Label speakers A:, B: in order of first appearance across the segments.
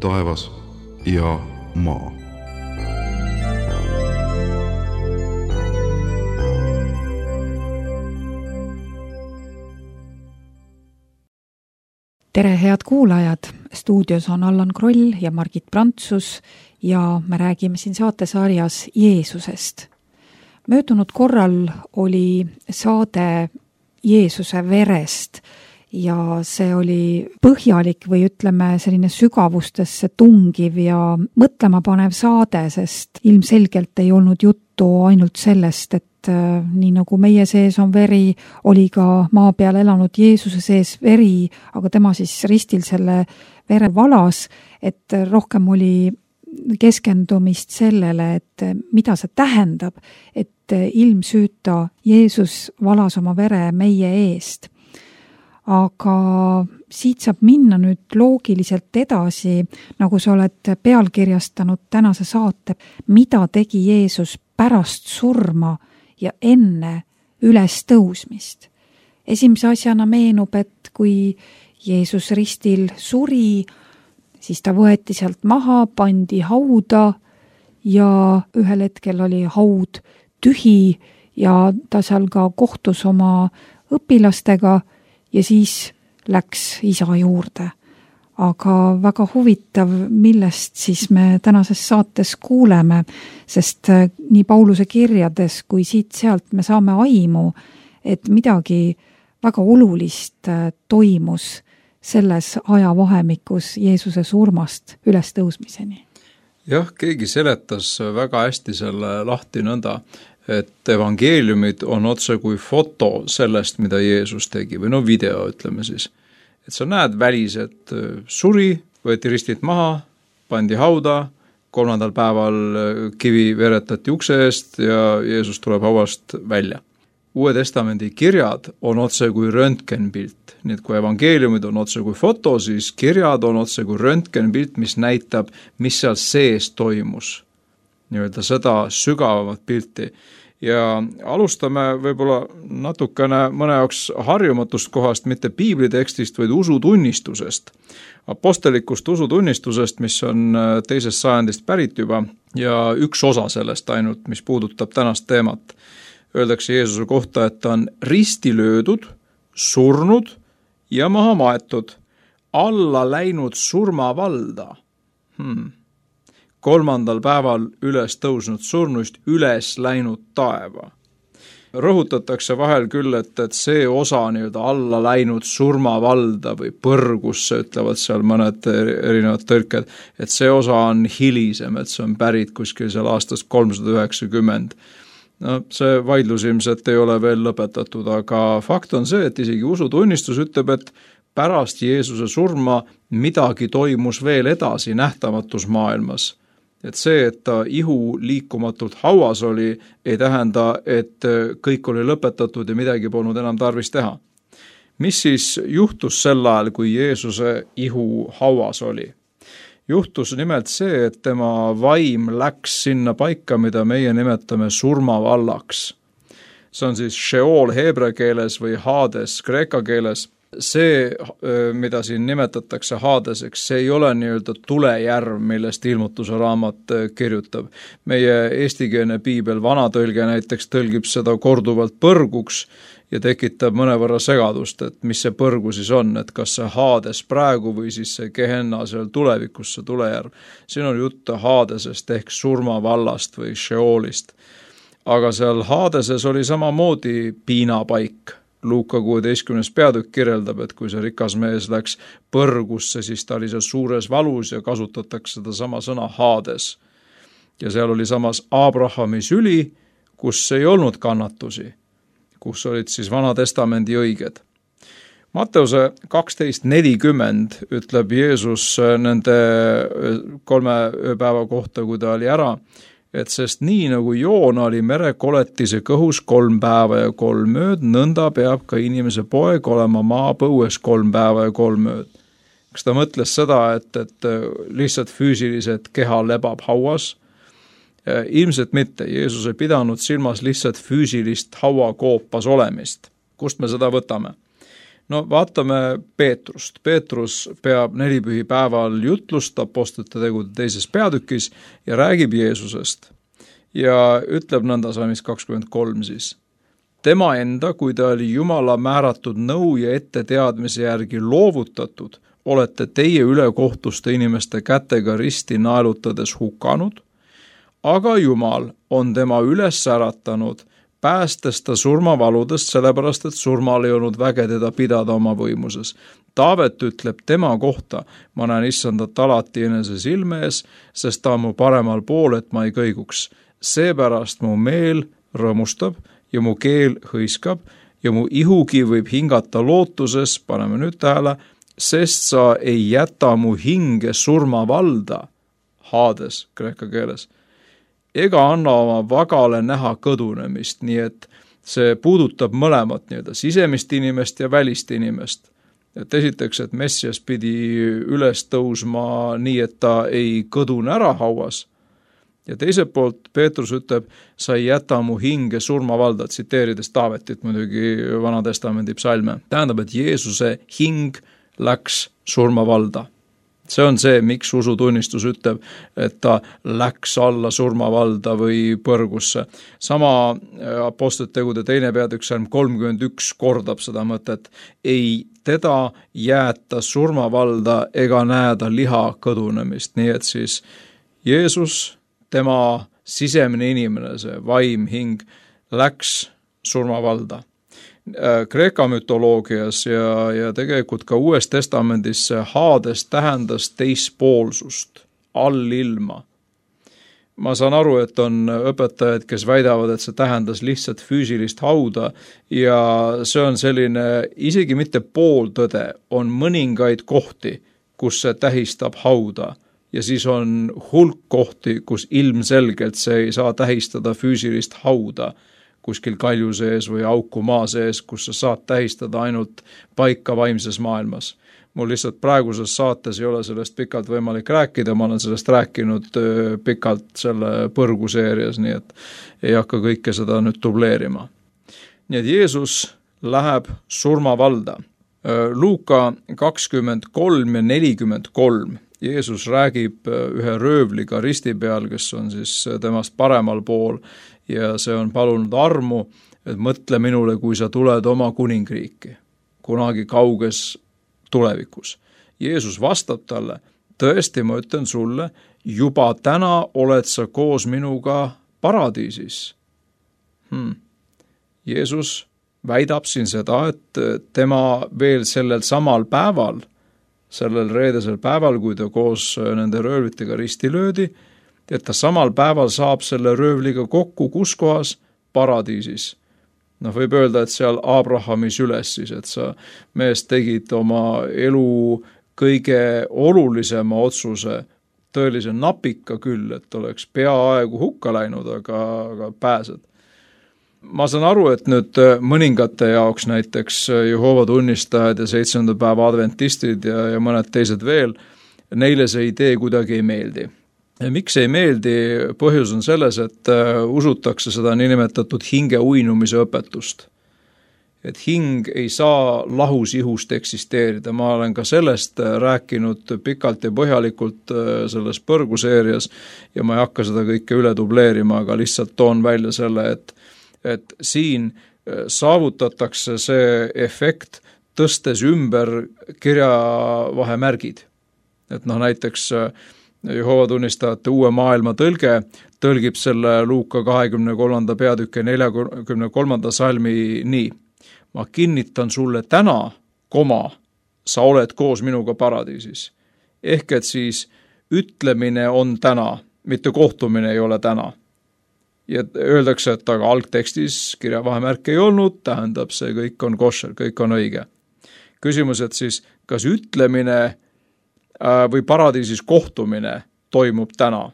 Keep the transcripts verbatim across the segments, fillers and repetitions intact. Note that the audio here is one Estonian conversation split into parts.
A: taevas ja maa.
B: Tere, head kuulajad! Stuudios on Allan Kroll ja Margit Prantsus ja me räägime siin saatesarjas Jeesusest. Möödunud korral oli saade Jeesuse verest ja see oli põhjalik või ütleme selline sügavustesse tungiv ja mõtlema panev saade, sest ilmselgelt ei olnud juttu ainult sellest, et nii nagu meie sees on veri, oli ka maa peal elanud Jeesuse sees veri, aga tema siis ristil selle vere valas, et rohkem oli keskendumist sellele, et mida see tähendab, et ilmsüüta Jeesus valas oma vere meie eest. Aga siit saab minna nüüd loogiliselt edasi, nagu sa oled pealkirjastanud tänase saate, mida tegi Jeesus pärast surma ja enne üles tõusmist. Esimese asjana meenub, et kui Jeesus ristil suri, siis ta võeti sealt maha, pandi hauda ja ühel hetkel oli haud tühi ja ta seal ka kohtus oma õpilastega ja siis läks isa juurde. Aga väga huvitav, millest siis me tänases saates kuuleme, sest nii Pauluse kirjades kui siit-sealt me saame aimu, et midagi väga olulist toimus selles ajavahemikus Jeesuse surmast üles tõusmiseni.
C: Jah, keegi seletas väga hästi selle lahti nõnda, et evangeeliumid on otse kui foto sellest, mida Jeesus tegi, või no video, ütleme siis. Et sa näed välis, et suri, võeti ristilt maha, pandi hauda, kolmandal päeval kivi veretati ukse eest ja Jeesus tuleb hauast välja. Uue testamendi kirjad on otse kui röntgenpilt. Nii et kui evangeeliumid on otse kui foto, siis kirjad on otse kui röntgenpilt, mis näitab, mis seal sees toimus. Nii-öelda seda sügavamat pilti. Ja alustame võib-olla natukene mõne jaoks harjumatust kohast, mitte piiblitekstist, vaid usutunnistusest. Apostelikust usutunnistusest, mis on teisest sajandist pärit juba ja üks osa sellest ainult, mis puudutab tänast teemat. Öeldakse Jeesuse kohta, et ta on risti löödud, surnud ja maha maetud, alla läinud surmavalda. Hmm. kolmandal päeval üles tõusnud surnuist üles läinud taeva. Rõhutatakse vahel küll, et, et see osa nii-öelda alla läinud surmavalda või põrgusse, ütlevad seal mõned erinevad tõrked, et see osa on hilisem, et see on pärit kuskil seal aastast kolmsada üheksakümmend. No, see vaidlus ilmselt ei ole veel lõpetatud, aga fakt on see, et isegi usutunnistus ütleb, et pärast Jeesuse surma midagi toimus veel edasi nähtamatus maailmas. Et see, et ta ihu liikumatult hauas oli, ei tähenda, et kõik oli lõpetatud ja midagi polnud enam tarvis teha. Mis siis juhtus sel ajal, kui Jeesuse ihu hauas oli? Juhtus nimelt see, et tema vaim läks sinna paika, mida meie nimetame surmavallaks. See on siis Sheol heebrea keeles või Hades kreeka keeles. See, mida siin nimetatakse Hadeseks, see ei ole nii-öelda tulejärv, millest ilmutuse raamat kirjutab. Meie eestikeelne piibel, vanatõlge näiteks tõlgib seda korduvalt põrguks ja tekitab mõnevõrra segadust, et mis see põrgu siis on, et kas see Hades praegu või siis see Gehenna seal tulevikus, see tulejärv. Siin on jutt Hadesest ehk surmavallast või Sheolist. Aga seal Hadeses oli samamoodi piinapaik. Luuka kuueteistkümnes peatükk kirjeldab, et kui see rikas mees läks põrgusse, siis ta oli seal suures valus ja kasutatakse seda sama sõna Hades. Ja seal oli samas Abrahami süli, kus ei olnud kannatusi, kus olid siis Vana Testamendi õiged. Matteuse kaksteist nelikümmend ütleb Jeesus nende kolme ööpäeva kohta, kui ta oli ära, et sest nii nagu Joona oli merekoletise kõhus kolm päeva ja kolm ööd, nõnda peab ka inimese poeg olema maapõues kolm päeva ja kolm ööd. Kas ta mõtles seda, et, et lihtsalt füüsiliselt keha lebab hauas? Ilmselt mitte. Jeesus ei pidanud silmas lihtsalt füüsilist hauakoopas olemist. Kust me seda võtame? no vaatame Peetrust. Peetrus peab nelipühipäeval jutlust Apostlite tegude teises peatükis ja räägib Jeesusest. Ja ütleb nõnda salmis kakskümmend kolm siis. Tema enda, kui ta oli Jumala määratud nõu ja etteteadmise järgi loovutatud, olete teie ülekohtuste inimeste kätega risti naelutades hukanud, aga Jumal on tema üles äratanud, päästes ta surmavaludest, sellepärast et surmal ei olnud väge teda pidada oma võimuses. Taavet ütleb tema kohta, ma näen issandat alati enese silme ees, sest ta on mu paremal pool, et ma ei kõiguks. Seepärast mu meel rõõmustab ja mu keel hõiskab ja mu ihugi võib hingata lootuses, paneme nüüd tähele, sest sa ei jäta mu hinge surmavalda, Hades kreeka keeles, ega anna oma vagale näha kõdunemist, nii et see puudutab mõlemat nii-öelda sisemist inimest ja välist inimest. Et esiteks, et Messias pidi üles tõusma nii, et ta ei kõdune ära hauas. Ja teiselt poolt Peetrus ütleb, sa ei jäta mu hinge surmavalda, tsiteerides Taavetit muidugi Vana Testamendi psalme. Tähendab, et Jeesuse hing läks surmavalda. See on see, miks usutunnistus ütleb, et ta läks alla surmavalda või põrgusse. Sama Apostlite tegude teine peatükk salm kolmkümmend üks kordab seda mõtet. Ei teda jäeta surmavalda ega näeda liha kõdunemist. Nii et siis Jeesus, tema sisemine inimene, see vaim, hing, läks surmavalda. Kreeka mütoloogias ja, ja tegelikult ka Uues Testamendis see Hades tähendas teispoolsust, allilma. Ma saan aru, et on õpetajad, kes väidavad, et see tähendas lihtsalt füüsilist hauda ja see on selline, isegi mitte pooltõde, on mõningaid kohti, kus see tähistab hauda. Ja siis on hulk kohti, kus ilmselgelt see ei saa tähistada füüsilist hauda kuskil kalju sees või auku maa sees, kus sa saad tähistada ainult paika vaimses maailmas. Mul lihtsalt praeguses saates ei ole sellest pikalt võimalik rääkida, ma olen sellest rääkinud pikalt selle põrguseerias, nii et ei hakka kõike seda nüüd dubleerima. Nii et Jeesus läheb surmavalda. Luuka kakskümmend kolm ja nelikümmend kolm. Jeesus räägib ühe röövliga risti peal, kes on siis temast paremal pool ja see on palunud armu, et mõtle minule, kui sa tuled oma kuningriiki, kunagi kauges tulevikus. Jeesus vastab talle, tõesti ma ütlen sulle, juba täna oled sa koos minuga paradiisis. Hmm. Jeesus väidab siin seda, et tema veel sellel samal päeval, sellel reedesel päeval, kui ta koos nende röövlitega risti löödi, et ta samal päeval saab selle röövliga kokku, kus kohas? Paradiisis. No võib öelda, et seal Abrahamis üles siis, et sa mees tegid oma elu kõige olulisema otsuse, tõelise napika küll, et oleks peaaegu hukka läinud, aga, aga pääsed. Ma saan aru, et nüüd mõningate jaoks näiteks Jehoova tunnistajad ja seitsmenda päeva adventistid ja, ja mõned teised veel, neile see idee kuidagi ei meeldi. Ja miks ei meeldi? Põhjus on selles, et usutakse seda niinimetatud hinge uinumise õpetust. Et hing ei saa lahus ihust eksisteerida. Ma olen ka sellest rääkinud pikalt ja põhjalikult selles põrguseerias ja ma ei hakka seda kõike üle dubleerima, aga lihtsalt toon välja selle, et et siin saavutatakse see efekt tõstes ümber kirjavahemärgid. Et noh, näiteks Jehoova tunnistajate uue maailma tõlge tõlgib selle Luuka kahekümne kolmanda peatükke neljakümne kolmanda salmi nii. Ma kinnitan sulle täna, koma, sa oled koos minuga paradiisis. Ehk et siis ütlemine on täna, mitte kohtumine ei ole täna. Ja öeldakse, et aga algtekstis kirjavahemärk ei olnud, tähendab see kõik on košer, kõik on õige. Küsimus, et siis kas ütlemine või paradiisis kohtumine toimub täna?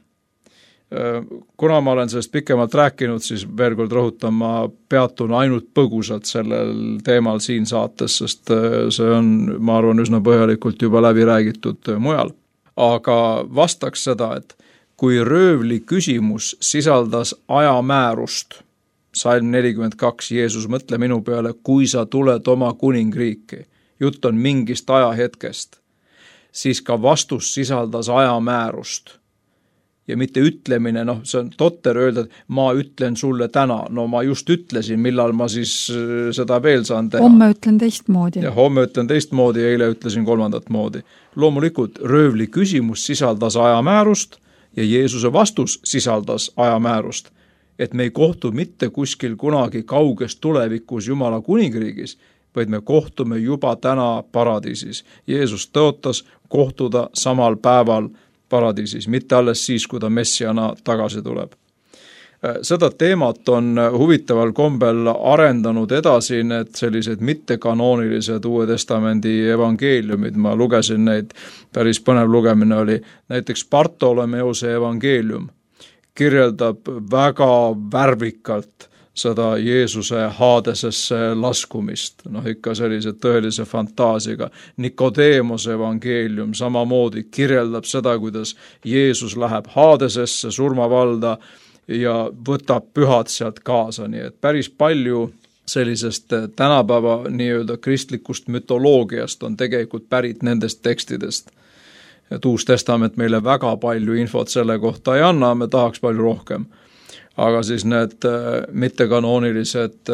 C: Kuna ma olen sellest pikemalt rääkinud, siis veel kord rõhutan, ma peatun ainult põgusalt sellel teemal siin saates, sest see on, ma arvan, üsna põhjalikult juba läbi räägitud mujal. Aga vastaks seda, et kui röövli küsimus sisaldas ajamäärust, salm nelikümmend kaks, Jeesus, mõtle minu peale, kui sa tuled oma kuningriiki, jutt on mingist ajahetkest, siis ka vastus sisaldas ajamäärust. Ja mitte ütlemine, noh, see on totter öelda, et ma ütlen sulle täna. No ma just ütlesin, millal ma siis seda veel saan teha.
B: Homme ütlen teistmoodi.
C: Ja homme ütlen teistmoodi ja eile ütlesin kolmandat moodi. Loomulikult röövli küsimus sisaldas ajamäärust ja Jeesuse vastus sisaldas ajamäärust. Et me ei kohtu mitte kuskil kunagi kauges tulevikus Jumala kuningriigis, vaid me kohtume juba täna paradiisis. Jeesus tõotas kohtuda samal päeval paradiisis, mitte alles siis, kui ta messiana tagasi tuleb. Seda teemat on huvitaval kombel arendanud edasi need sellised mittekanoonilised Uue Testamendi evangeeliumid. Ma lugesin neid, päris põnev lugemine oli. Näiteks Bartolomeuse evangeelium kirjeldab väga värvikalt seda Jeesuse Haadesesse laskumist, noh ikka sellise tõelise fantaasiaga. Nikodeemose evangeelium samamoodi kirjeldab seda, kuidas Jeesus läheb Haadesesse, surmavalda ja võtab pühad sealt kaasa, nii et päris palju sellisest tänapäeva nii-öelda kristlikust mütoloogiast on tegelikult pärit nendest tekstidest. Et Uus Testament meile väga palju infot selle kohta ei anna, me tahaks palju rohkem. Aga siis need mittekanoonilised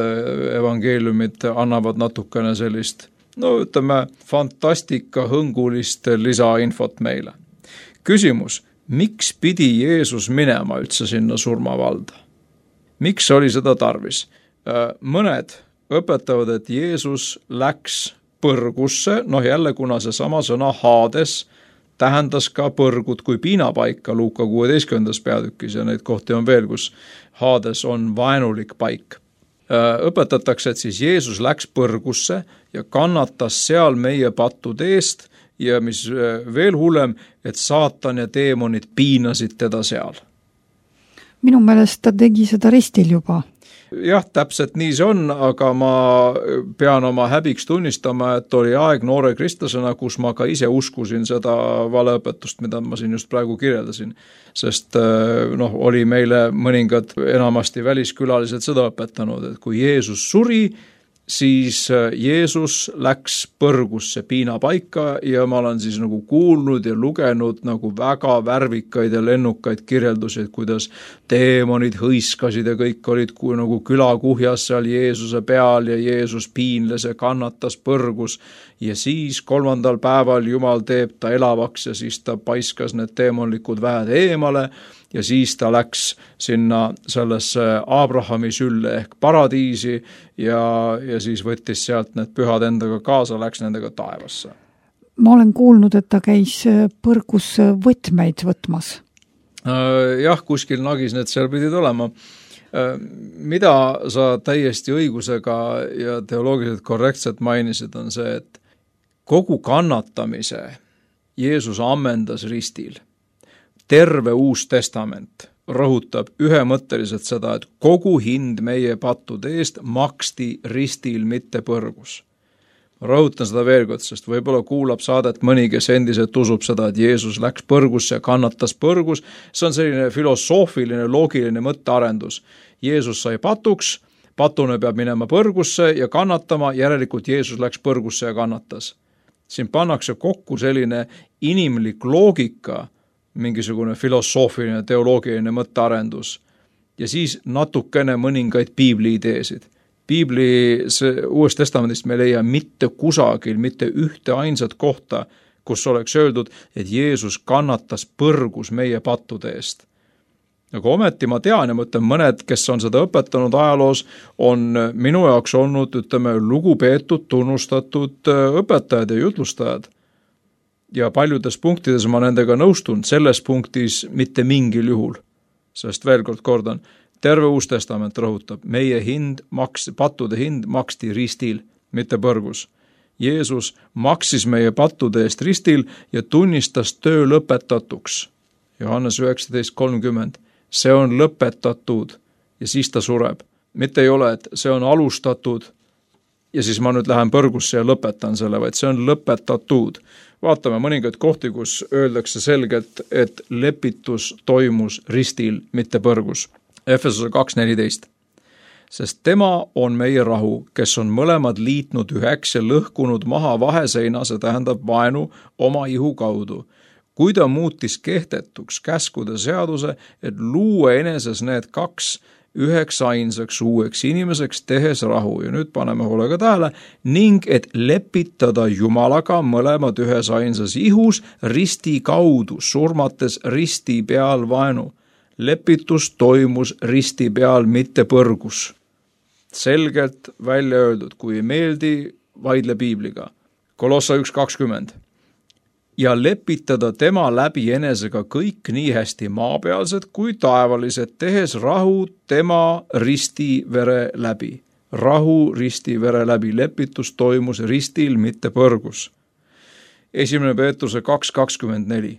C: evangeeliumid annavad natukene sellist, no ütleme, fantastika hõngulist lisainfot meile. Küsimus, miks pidi Jeesus minema üldse sinna surmavalda? Miks oli seda tarvis? Mõned õpetavad, et Jeesus läks põrgusse, noh jälle kuna see sama sõna Haades tähendas ka põrgut kui piinapaika Luuka kuueteistkümnendas peatükis ja neid kohti on veel, kus Haades on vaenulik paik. Õpetatakse, et siis Jeesus läks põrgusse ja kannatas seal meie pattude eest ja mis veel hullem, et saatan ja teemonid piinasid teda seal.
B: Minu meelest ta tegi seda ristil juba.
C: Jah, täpselt nii see on, aga ma pean oma häbiks tunnistama, et oli aeg noore kristlasena, kus ma ka ise uskusin seda valeõpetust, mida ma siin just praegu kirjeldasin. Sest noh, oli meile mõningad enamasti väliskülalised seda õpetanud, et kui Jeesus suri, siis Jeesus läks põrgusse piinapaika ja ma olen siis nagu kuulnud ja lugenud nagu väga värvikaid ja lennukaid kirjeldusi, kuidas teemonid hõiskasid ja kõik olid kui nagu külakuhjas seal Jeesuse peal ja Jeesus piinles ja kannatas põrgus ja siis kolmandal päeval Jumal teeb ta elavaks ja siis ta paiskas need teemonlikud väed eemale ja siis ta läks sinna sellesse Abrahami sülle ehk paradiisi ja, ja siis võttis sealt need pühad endaga kaasa, läks nendega taevasse.
B: Ma olen kuulnud, et ta käis põrgus võtmeid võtmas.
C: Jah, kuskil nagis need seal pidid olema. Mida sa täiesti õigusega ja teoloogiliselt korrektselt mainisid, on see, et kogu kannatamise Jeesus ammendas ristil. Terve Uus Testament rõhutab ühemõtteliselt seda, et kogu hind meie pattude eest maksti ristil, mitte põrgus. Rõhutan seda veel kord, sest võib-olla kuulab saadet mõni, kes endiselt usub seda, et Jeesus läks põrgusse ja kannatas põrgus. See on selline filosoofiline, loogiline mõttearendus. Jeesus sai patuks, patune peab minema põrgusse ja kannatama, järelikult Jeesus läks põrgusse ja kannatas. Siin pannakse kokku selline inimlik loogika, mingisugune filosoofiline, teoloogiline mõttearendus ja siis natukene mõningaid piibli ideesid. Piibli Uuest Testamendist me leia mitte kusagil, mitte ühte ainsat kohta, kus oleks öeldud, et Jeesus kannatas põrgus meie pattude eest. Aga ometi ma tean ja mõtlen mõned, kes on seda õpetanud ajaloos, on minu jaoks olnud, ütleme, lugupeetud, tunnustatud õpetajad ja jutlustajad. Ja paljudes punktides ma nendega nõustun, selles punktis mitte mingil juhul. Sest veel kord kordan, terve Uus Testament rõhutab, meie hind, maks, pattude hind maksti ristil, mitte põrgus. Jeesus maksis meie pattude eest ristil ja tunnistas töö lõpetatuks. Johannes üheksateist kolmkümmend. See on lõpetatud ja siis ta sureb. Mitte ei ole, et see on alustatud ja siis ma nüüd lähen põrgusse ja lõpetan selle, vaid see on lõpetatud. Vaatame mõningaid kohti, kus öeldakse selgelt, et lepitus toimus ristil, mitte põrgus. Efesuse kaks neliteist. sest tema on meie rahu, kes on mõlemad liitnud üheks ja lõhkunud maha vaheseina, see tähendab vaenu oma ihu kaudu. Kui ta muutis kehtetuks käskude seaduse, et luua eneses need kaks üheks ainsaks uueks inimeseks, tehes rahu. Ja nüüd paneme hoolega tähele, ning et lepitada Jumalaga mõlemad ühes ainsas ihus risti kaudu, surmates risti peal vaenu. Lepitus toimus risti peal, mitte põrgus. Selgelt välja öeldud, kui ei meeldi, vaidle piibliga. Kolossa üks kakskümmend. Ja lepitada tema läbi enesega kõik nii hästi maapealsed kui taevalised, tehes rahu tema risti vere läbi. Rahu risti vere läbi. Lepitus toimus ristil, mitte põrgus. Esimene Peetruse kaks kakskümmend neli.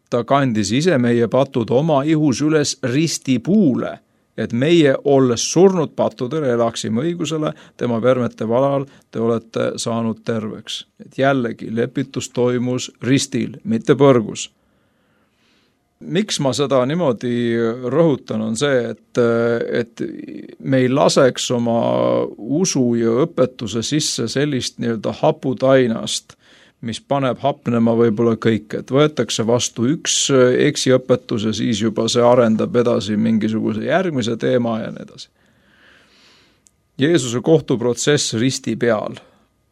C: Ta kandis ise meie patud oma ihus üles risti puule, et meie, olles surnud pattudele, elaksime õigusele, tema vermete valal te olete saanud terveks. Et jällegi, lepitus toimus ristil, mitte põrgus. Miks ma seda niimoodi rõhutan, on see, et, et me ei laseks oma usu ja õpetuse sisse sellist nii-öelda haputainast, mis paneb hapnema võib-olla kõik, et võetakse vastu üks eksiõpetus ja siis juba see arendab edasi mingisuguse järgmise teema ja nii edasi. Jeesuse kohtuprotsess risti peal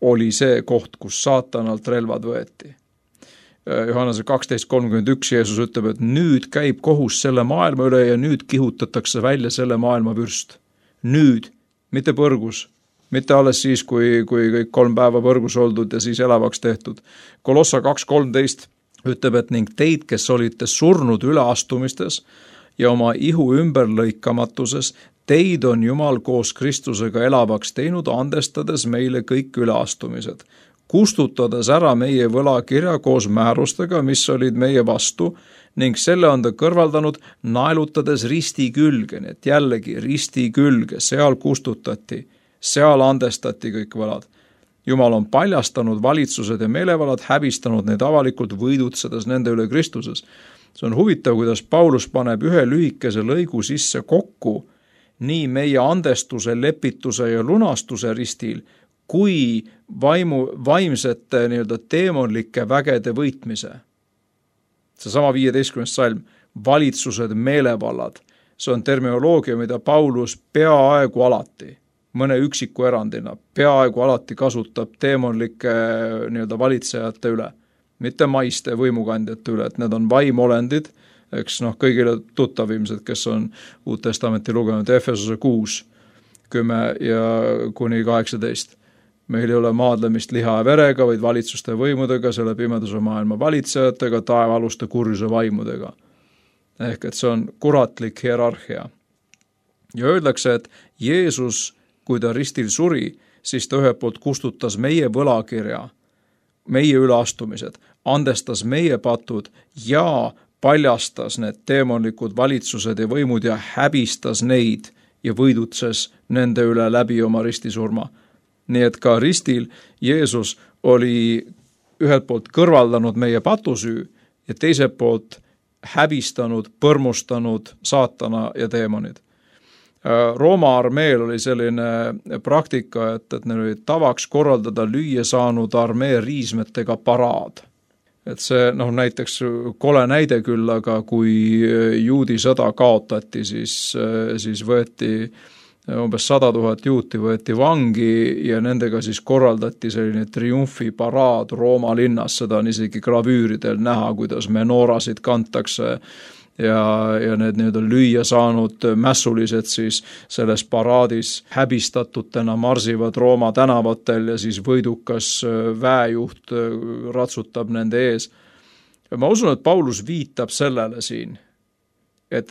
C: oli see koht, kus saatanalt relvad võeti. Johannese kaksteist kolmkümmend üks Jeesus ütleb, et nüüd käib kohus selle maailma üle ja nüüd kihutatakse välja selle maailma vürst. Nüüd, mitte põrgus. Mitte alles siis, kui, kui kõik kolm päeva põrgus oldud ja siis elavaks tehtud. Kolossa kaks kolmteist ütleb, et ning teid, kes olite surnud üleastumistes ja oma ihu ümberlõikamatuses, teid on Jumal koos Kristusega elavaks teinud, andestades meile kõik üleastumised. Kustutades ära meie võlakirja koos määrustega, mis olid meie vastu, ning selle on ta kõrvaldanud, naelutades risti külge, et jällegi risti külge, seal kustutati. Seal andestati kõik võlad. Jumal on paljastanud valitsused ja meelevalad, häbistanud neid avalikult, võidutsedes nende üle Kristuses. See on huvitav, kuidas Paulus paneb ühe lühikese lõigu sisse kokku nii meie andestuse, lepituse ja lunastuse ristil, kui vaimu, vaimsete nii-öelda teemonlike vägede võitmise. Seesama viieteistkümnes salm, valitsused, meelevallad, see on terminoloogia, mida Paulus peaaegu alati mõne üksiku erandina peaaegu alati kasutab teemonlike nii-öelda valitsejate üle, mitte maiste võimukandjate üle, et need on vaimolendid, eks noh, kõigile tuttav ilmselt, kes on Uut Testamenti lugenud, Efesose kuus, kümme ja kuni kaheksateist. Meil ei ole maadlemist liha ja verega, vaid valitsuste võimudega, selle pimeduse maailma valitsejatega, taevaluste kurjuse vaimudega. Ehk et see on kuratlik hierarhia. Ja öeldakse, et Jeesus kui ta ristil suri, siis ta ühelt poolt kustutas meie võlakirja, meie üleastumised, andestas meie patud ja paljastas need teemonlikud valitsused ja võimud ja häbistas neid ja võidutses nende üle läbi oma ristisurma. Nii et ka ristil Jeesus oli ühelt poolt kõrvaldanud meie patusüü ja teiselt poolt häbistanud, põrmustanud saatana ja teemonid. Rooma armeel oli selline praktika, et, et neil oli tavaks korraldada lüüa saanud armee riismetega paraad. Et see, noh, näiteks kole näide küll, aga kui juudi sõda kaotati, siis, siis võeti umbes sada tuhat juuti võeti vangi ja nendega siis korraldati selline triumfiparaad Rooma linnas, seda on isegi gravüüridel näha, kuidas menoorasid kantakse ja, ja need nii-öelda lüüa saanud mässulised siis selles paraadis häbistatutena marsivad Rooma tänavatel ja siis võidukas väejuht ratsutab nende ees. Ja ma usun, et Paulus viitab sellele siin, et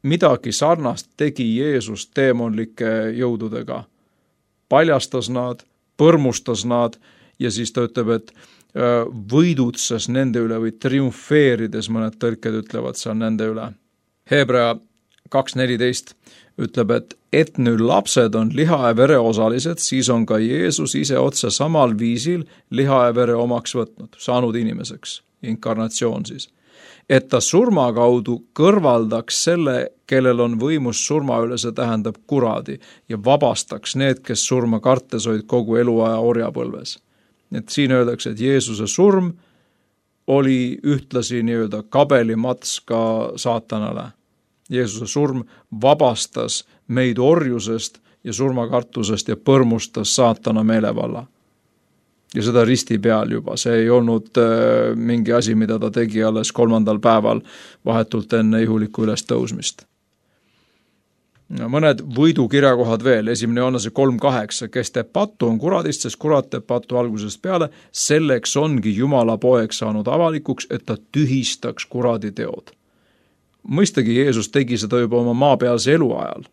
C: midagi sarnast tegi Jeesus teemonlike jõududega. Paljastas nad, põrmustas nad ja siis ta ütleb, et võidutses nende üle või triumfeerides, mõned tõlked ütlevad seal nende üle. Hebrea kaks neliteist ütleb, et et nüüd lapsed on liha ja vere osalised, siis on ka Jeesus ise otse samal viisil liha ja vere omaks võtnud, saanud inimeseks, inkarnatsioon siis. et ta surma kaudu kõrvaldaks selle, kellel on võimus surma üle, see tähendab kuradi, ja vabastaks need, kes surma kartes olid kogu eluaja orjapõlves. Et siin öeldakse, et Jeesuse surm oli ühtlasi nii-öelda kabelimats ka saatanale. Jeesuse surm vabastas meid orjusest ja surmakartusest ja põrmustas saatana meelevalla. Ja seda risti peal juba, see ei olnud äh, mingi asi, mida ta tegi alles kolmandal päeval vahetult enne ihuliku ülestõusmist. Mõned võidukirjakohad veel, esimene Johannese kolm kaheksa, kes teeb pattu, on kuradist, sest kurat teeb pattu algusest peale, selleks ongi Jumala poeg saanud avalikuks, et ta tühistaks kuradi teod. Mõistagi Jeesus tegi seda juba oma maapealse elu ajal.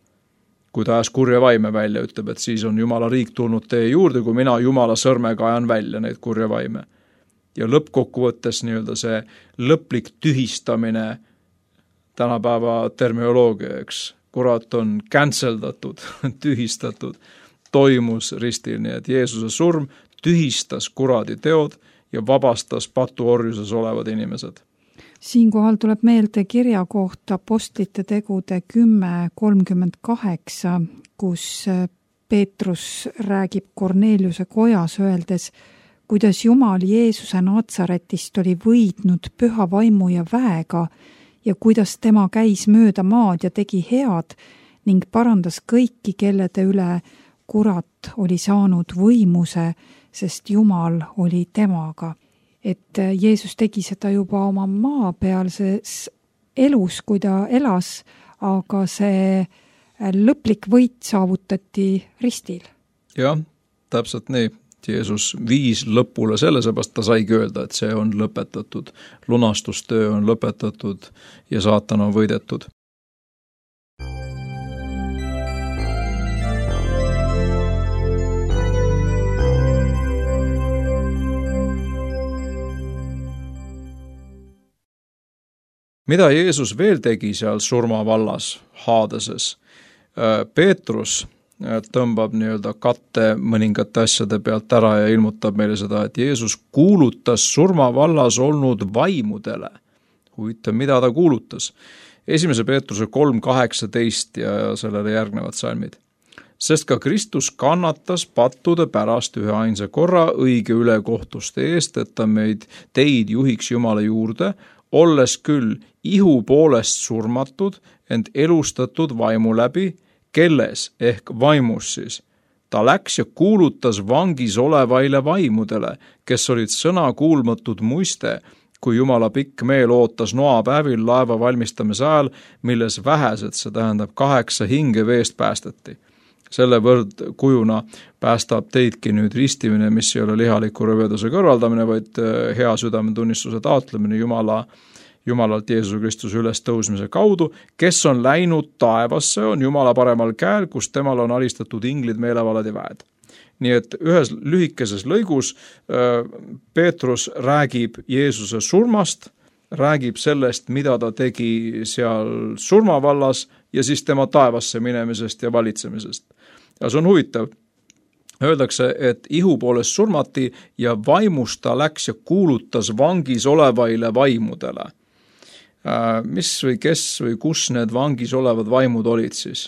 C: Kui ta ajas kurja vaime välja, ütleb, et siis on Jumala riik tulnud teie juurde, kui mina Jumala sõrmega ajan välja neid kurja vaime. Ja lõppkokkuvõttes nii-öelda see lõplik tühistamine tänapäeva termioloogia, eks, kurat on canceldatud, tühistatud, toimus ristil, nii et Jeesuse surm tühistas kuradi teod ja vabastas patuorjuses olevad inimesed.
B: Siinkohal tuleb meelde kirja kohta Apostlite tegude kümme kolmkümmend kaheksa, kus Peetrus räägib Korneliuse kojas öeldes, kuidas Jumal Jeesuse Natsaretist oli võidnud püha vaimu ja väega ja kuidas tema käis mööda maad ja tegi head ning parandas kõiki, kellede üle kurat oli saanud võimuse, sest Jumal oli temaga. Et Jeesus tegi seda juba oma maapealses elus, kui ta elas, aga see lõplik võit saavutati ristil.
C: Jah, täpselt nii. Jeesus viis lõpule selle, seepärast ta saigi öelda, et see on lõpetatud. Lunastustöö on lõpetatud ja saatan on võidetud. Mida Jeesus veel tegi seal surmavallas Haadeses? Peetrus tõmbab nii-öelda katte mõningate asjade pealt ära ja ilmutab meile seda, et Jeesus kuulutas surmavallas olnud vaimudele. Huvitav, mida ta kuulutas? Esimese Peetruse kolm kaheksateist ja sellele järgnevad salmid. Sest ka Kristus kannatas pattude pärast ühe ainsa korra õige ülekohtuste eest, et ta meid teid juhiks Jumala juurde, olles küll ihu poolest surmatud, ent elustatud vaimu läbi, kelles ehk vaimus siis. Ta läks ja kuulutas vangis olevaile vaimudele, kes olid sõna kuulmatud muiste, kui Jumala pikk meel ootas noapäevil laeva valmistamise ajal, milles vähesed, see tähendab kaheksa hinge veest päästeti. Selle võrd kujuna päästab teidki nüüd ristimine, mis ei ole lihaliku rõveduse kõrvaldamine, vaid hea südametunnistuse taotlemine Jumala Jumalalt Jeesuse Kristuse ülestõusmise kaudu, kes on läinud taevasse, on Jumala paremal käel, kus temal on alistatud inglid, meelevalad ja väed. Nii et ühes lühikeses lõigus Peetrus räägib Jeesuse surmast, räägib sellest, mida ta tegi seal surmavallas ja siis tema taevasse minemisest ja valitsemisest. Ja see on huvitav. Öeldakse, et ihu poolest surmati ja vaimust ta läks ja kuulutas vangis olevaile vaimudele. Mis või kes või kus need vangis olevad vaimud olid siis?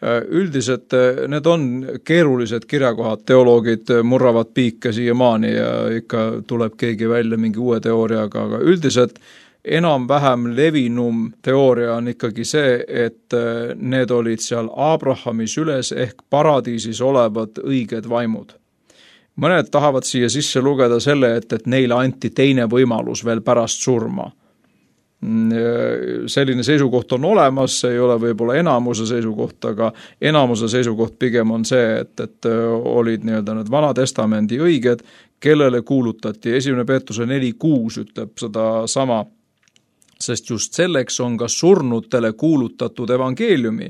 C: Üldiselt need on keerulised kirjakohad, teoloogid murravad piike siiamaani ja ikka tuleb keegi välja mingi uue teooriaga, aga üldiselt enam-vähem levinum teooria on ikkagi see, et need olid seal Abrahami süles ehk paradiisis olevad õiged vaimud. Mõned tahavad siia sisse lugeda selle, et, et neile anti teine võimalus veel pärast surma. Selline seisukoht on olemas, see ei ole võib-olla enamuse seisukoht, aga enamuse seisukoht pigem on see, et, et olid nii-öelda need vana testamendi õiged, kellele kuulutati. Esimene Peetruse neli kuus ütleb seda sama, sest just selleks on ka surnutele kuulutatud evangeeliumi,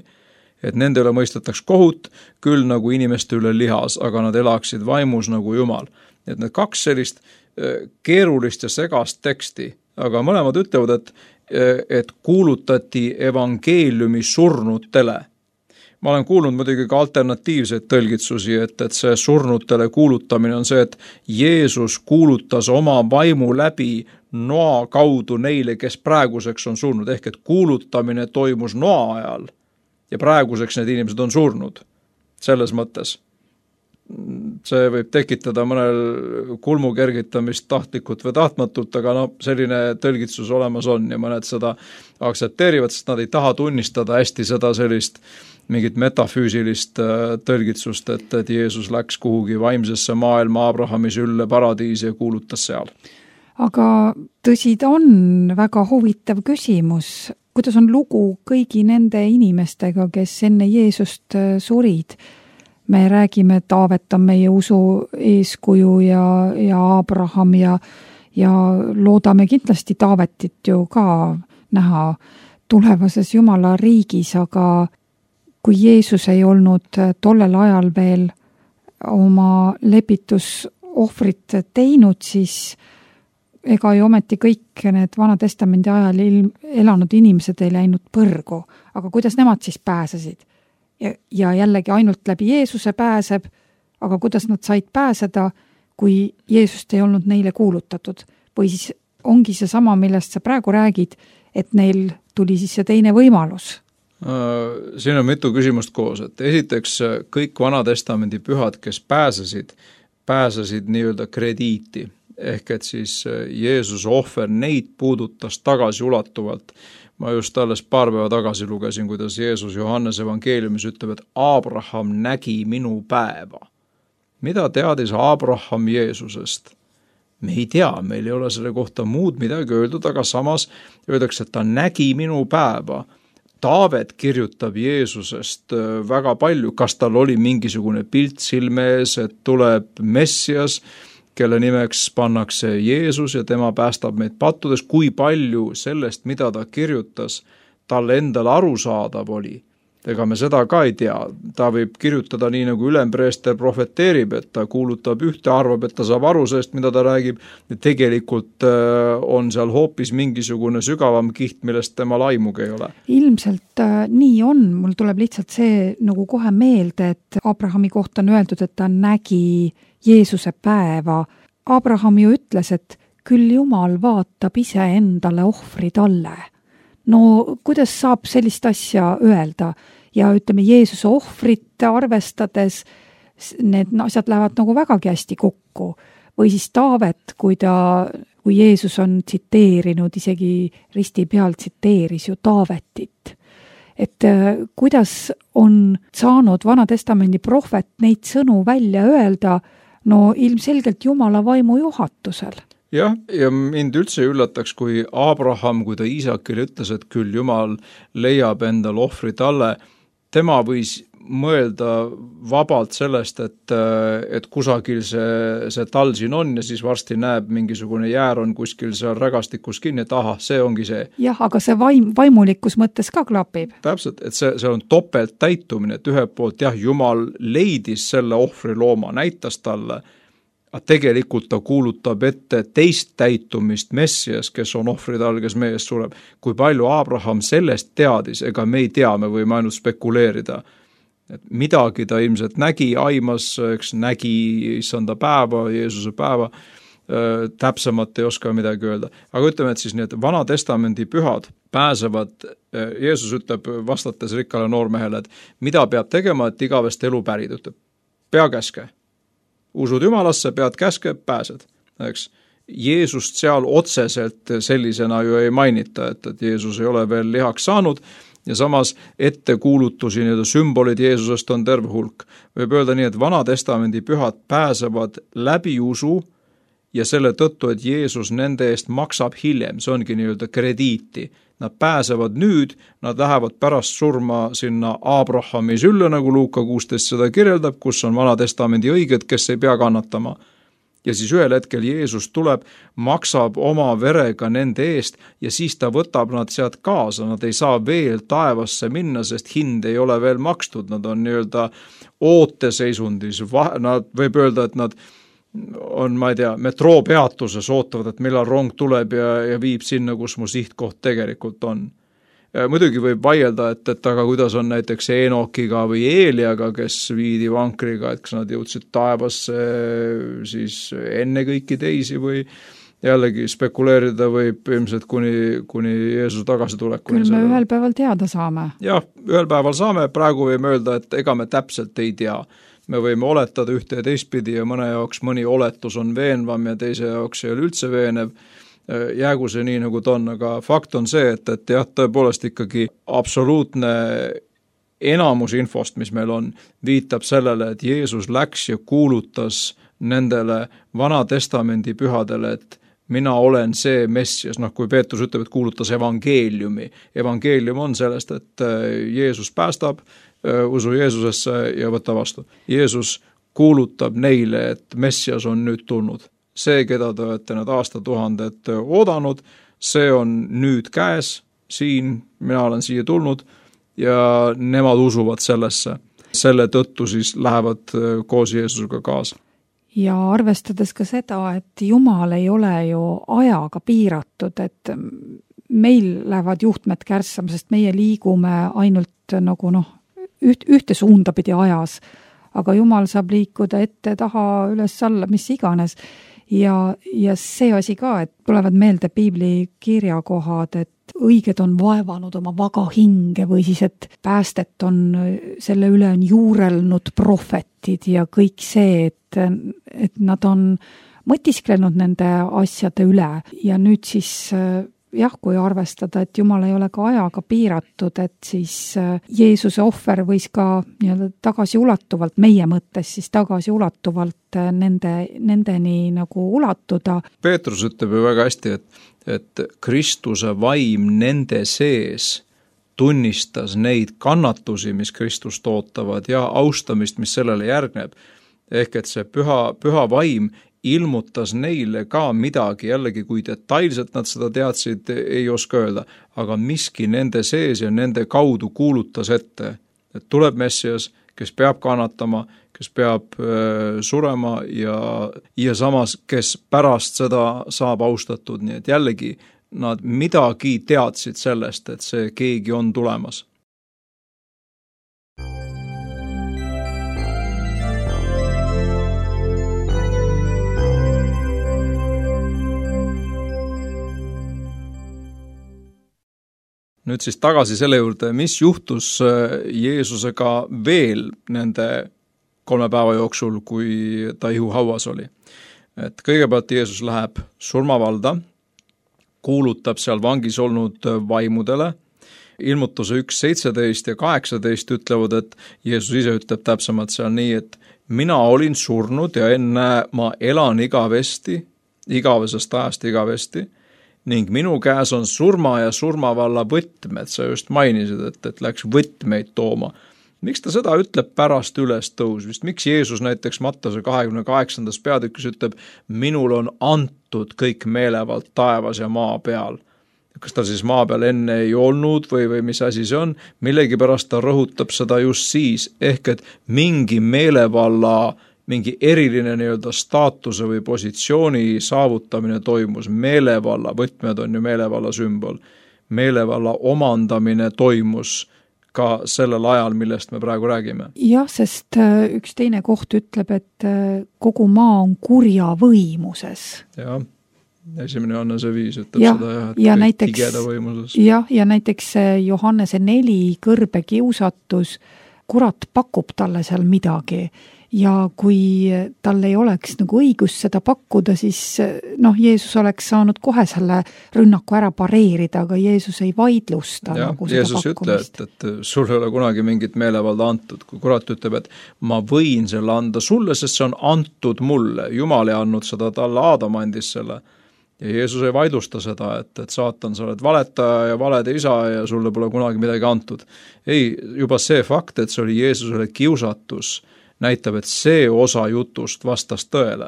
C: et nende üle mõistetaks kohut, küll nagu inimeste üle lihas, aga nad elaksid vaimus nagu Jumal. Et need kaks sellist keerulist ja segast teksti, aga mõlemad ütlevad, et, et kuulutati evangeeliumi surnutele. ma olen kuulnud muidugi ka alternatiivseid tõlgitsusi, et, et see surnutele kuulutamine on see, et Jeesus kuulutas oma vaimu läbi noa kaudu neile, kes praeguseks on surnud, ehk et kuulutamine toimus noa ajal ja praeguseks need inimesed on surnud. Selles mõttes see võib tekitada mõnel kulmu kergitamist tahtlikult või tahtmatult, aga no selline tõlgitsus olemas on ja mõned seda aktsepteerivad, sest nad ei taha tunnistada hästi seda sellist mingit metafüüsilist tõlgitsust, et, et Jeesus läks kuhugi vaimsesse maailma Abrahami sülle paradiisi ja kuulutas seal.
B: Aga tõsi, ta on väga huvitav küsimus. Kuidas on lugu kõigi nende inimestega, kes enne Jeesust surid? Me räägime, et Taavet on meie usu eeskuju ja, ja Abraham ja, ja loodame kindlasti Taavetit ju ka näha tulevases Jumala riigis, aga kui Jeesus ei olnud tollel ajal veel oma lepitusohvrit teinud, siis ega ju ometi kõik need Vana Testamendi ajal ilm, elanud inimesed ei läinud põrgu. Aga kuidas nemad siis pääsesid? Ja, ja jällegi ainult läbi Jeesuse pääseb, aga kuidas nad said pääseda, kui Jeesust ei olnud neile kuulutatud? Või siis ongi see sama, millest sa praegu räägid, et neil tuli siis see teine võimalus?
C: Siin on mitu küsimust koos, et esiteks kõik Vana Testamendi pühad, kes pääsesid, pääsesid nii-öelda krediiti, ehk et siis Jeesuse ohver neid puudutas tagasi ulatuvalt. Ma just alles paar päeva tagasi lugesin, kuidas Jeesus Johannes evangeeliumis ütleb, et Abraham nägi minu päeva. Mida teadis Abraham Jeesusest? Me ei tea, meil ei ole selle kohta muud midagi öeldud, aga samas öeldakse, et ta nägi minu päeva. Taavet kirjutab Jeesusest väga palju, kas tal oli mingisugune pilt silme ees, et tuleb Messias, kelle nimeks pannakse Jeesus ja tema päästab meid pattudes, kui palju sellest, mida ta kirjutas, tal endal arusaadav oli. Ega me seda ka ei tea. Ta võib kirjutada nii, nagu ülempreester profeteerib, et ta kuulutab ühte, arvab, et ta saab aru sellest, mida ta räägib. Ja tegelikult on seal hoopis mingisugune sügavam kiht, millest tema laimugi ei ole.
B: Ilmselt äh, nii on. Mul tuleb lihtsalt see nagu kohe meelde, et Abrahami kohta on öeldud, et ta nägi Jeesuse päeva. Abraham ju ütles, et küll Jumal vaatab ise endale ohvri talle. No kuidas saab sellist asja öelda? Ja ütleme, Jeesuse ohvrit arvestades need asjad lähevad nagu vägagi hästi kokku. Või siis Taavet, kui, ta, kui Jeesus on tsiteerinud, isegi risti peal tsiteeris ju Taavetit. Et kuidas on saanud Vana Testamendi prohvet neid sõnu välja öelda, no ilmselgelt Jumala vaimu juhatusel.
C: Jah, ja mind üldse üllataks, kui Abraham, kui ta Iisakile ütles, et küll Jumal leiab endal ohvri talle, tema võis mõelda vabalt sellest, et, et kusagil see, see tal siin on ja siis varsti näeb mingisugune jäär on kuskil seal rägastikus kinni, et aha, see ongi see.
B: Jah, aga see vaim, vaimulikus mõttes ka klapib.
C: Täpselt, et see, see on topelt täitumine, et ühe poolt jah, Jumal leidis selle ohvri looma, näitas talle, aga tegelikult ta kuulutab ette teist täitumist Messias, kes on ohvrid all, kes meie eest sureb. Kui palju Abraham sellest teadis, ega me ei tea, me võime ainult spekuleerida. Et midagi ta ilmselt nägi, aimas, eks nägi issanda päeva, Jeesuse päeva, äh, täpsemalt ei oska midagi öelda. Aga ütleme, et siis need Vana Testamendi pühad pääsevad, äh, Jeesus ütleb vastates rikkale noormehele, et mida peab tegema, et igavest elu pärida, ütleb, pea käske. Usud Jumalasse, pead käske, pääsed. Eks? Jeesust seal otseselt sellisena ju ei mainita, et, et Jeesus ei ole veel lihaks saanud ja samas ettekuulutusi, nii-öelda sümbolid Jeesusest on terve hulk. Võib öelda nii, et Vana Testamendi pühad pääsevad läbi usu ja selle tõttu, et Jeesus nende eest maksab hiljem, see ongi nii-öelda krediiti. Nad pääsevad nüüd, nad lähevad pärast surma sinna Abrahami sülle, nagu Luuka kuusteist seda kirjeldab, kus on Vana Testamendi õiged, kes ei pea kannatama. Ja siis ühel hetkel Jeesus tuleb, maksab oma verega nende eest ja siis ta võtab nad sealt kaasa, nad ei saa veel taevasse minna, sest hind ei ole veel makstud, nad on nii-öelda ooteseisundis, nad võib öelda, et nad on, ma ei tea, metroo peatuses ootavad, et millal rong tuleb ja, ja viib sinna, kus mu sihtkoht tegelikult on. muidugi võib vaielda, et, et aga kuidas on näiteks Enokiga või Eeliaga, kes viidi vankriga, et kas nad jõudsid taevasse siis enne kõiki teisi või jällegi spekuleerida võib ilmselt kuni, kuni Jeesuse tagasitulekuni.
B: Küll me selle... ühel päeval teada saame.
C: Jah, ühel päeval saame, praegu võime öelda, et ega me täpselt ei tea. Me võime oletada ühte ja teistpidi ja mõne jaoks mõni oletus on veenvam ja teise jaoks ei ole üldse veenev. Jäägu see nii, nagu ta on, aga fakt on see, et, et jah, tõepoolest ikkagi absoluutne enamus infost, mis meil on, viitab sellele, et Jeesus läks ja kuulutas nendele Vana Testamendi pühadele, et mina olen see Messias, noh kui Peetrus ütleb, et kuulutas evangeeliumi. Evangeelium on sellest, et Jeesus päästab, usu Jeesusesse ja võta vastu. Jeesus kuulutab neile, et Messias on nüüd tulnud. See, keda te olete need aastatuhanded oodanud, see on nüüd käes, siin, mina olen siia tulnud ja nemad usuvad sellesse. Selle tõttu siis lähevad koos Jeesusega kaasa.
B: Ja arvestades ka seda, et Jumal ei ole ju ajaga piiratud, et meil lähevad juhtmed kärssama, sest meie liigume ainult nagu noh, üht, ühte suunda pidi ajas, aga Jumal saab liikuda ette, taha, üles, alla, mis iganes. Ja, ja see asi ka, et tulevad meelde piibli kirjakohad, et õiged on vaevanud oma vaga hinge või siis, et päästet on, selle üle on juurelnud prohvetid ja kõik see, et, et nad on mõtisklenud nende asjade üle ja nüüd siis jah, kui arvestada, et Jumal ei ole ka ajaga piiratud, et siis Jeesuse ohver võis ka nii-öelda tagasiulatuvalt, meie mõttes siis tagasiulatuvalt nende, nendeni nagu ulatuda.
C: Peetrus ütleb ju väga hästi, et, et Kristuse vaim nende sees tunnistas neid kannatusi, mis Kristust ootavad ja austamist, mis sellele järgneb. Ehk et see püha, püha vaim ilmutas neile ka midagi, jällegi kui detailselt nad seda teadsid, ei oska öelda, aga miski nende sees ja nende kaudu kuulutas ette, et tuleb Messias, kes peab kannatama, kes peab äh, surema ja, ja samas, kes pärast seda saab austatud, nii et jällegi nad midagi teadsid sellest, et see keegi on tulemas. Nüüd siis tagasi selle juurde, mis juhtus Jeesusega veel nende kolme päeva jooksul, kui ta ihuhauas oli. Et kõigepealt Jeesus läheb surmavalda, kuulutab seal vangis olnud vaimudele. Ilmutuse üks seitseteist ja kaheksateist ütlevad, et Jeesus ise ütleb täpsemalt seal nii, et mina olin surnud ja enne ma elan igavesti, igavesest ajast igavesti, ning minu käes on surma ja surmavalla võtmed, sa just mainisid, et, et läks võtmeid tooma. Miks ta seda ütleb pärast üles tõusvist? Miks Jeesus näiteks Mattuse kahekümne kaheksandas peatükis ütleb, minul on antud kõik meelevald taevas ja maa peal? Kas ta siis maa peal enne ei olnud või, või mis asi see on? Millegi pärast ta rõhutab seda just siis, ehk et mingi meelevalla mingi eriline nii-öelda staatuse või positsiooni saavutamine toimus. Meelevalla, võtmed on ju meelevalla sümbol. Meelevalla omandamine toimus ka sellel ajal, millest me praegu räägime.
B: Jah, sest üks teine koht ütleb, et kogu maa on kurja võimuses.
C: Jah, esimene Johannese viis ütleb
B: ja,
C: seda, jah, et
B: ja
C: kõik
B: näiteks,
C: tigeda võimuses.
B: Jah, ja näiteks Johannese neli kõrbe kiusatus, kurat pakub talle seal midagi. Ja kui tal ei oleks nagu õigus seda pakkuda, siis noh, Jeesus oleks saanud kohe selle rünnaku ära pareerida, aga Jeesus ei vaidlusta
C: ja,
B: nagu seda
C: Jeesus
B: pakkumist.
C: ütleb, et, et sul ei ole kunagi mingit meelevalda antud. Kui kurat ütleb, et ma võin selle anda sulle, sest see on antud mulle. Jumal ei andnud seda talle, Aadam andis selle. Ja Jeesus ei vaidlusta seda, et, et saatan, sa oled valetaja ja valede isa ja sulle pole kunagi midagi antud. Ei, juba see fakt, et see oli Jeesusele kiusatus, näitab, et see osa jutust vastas tõele.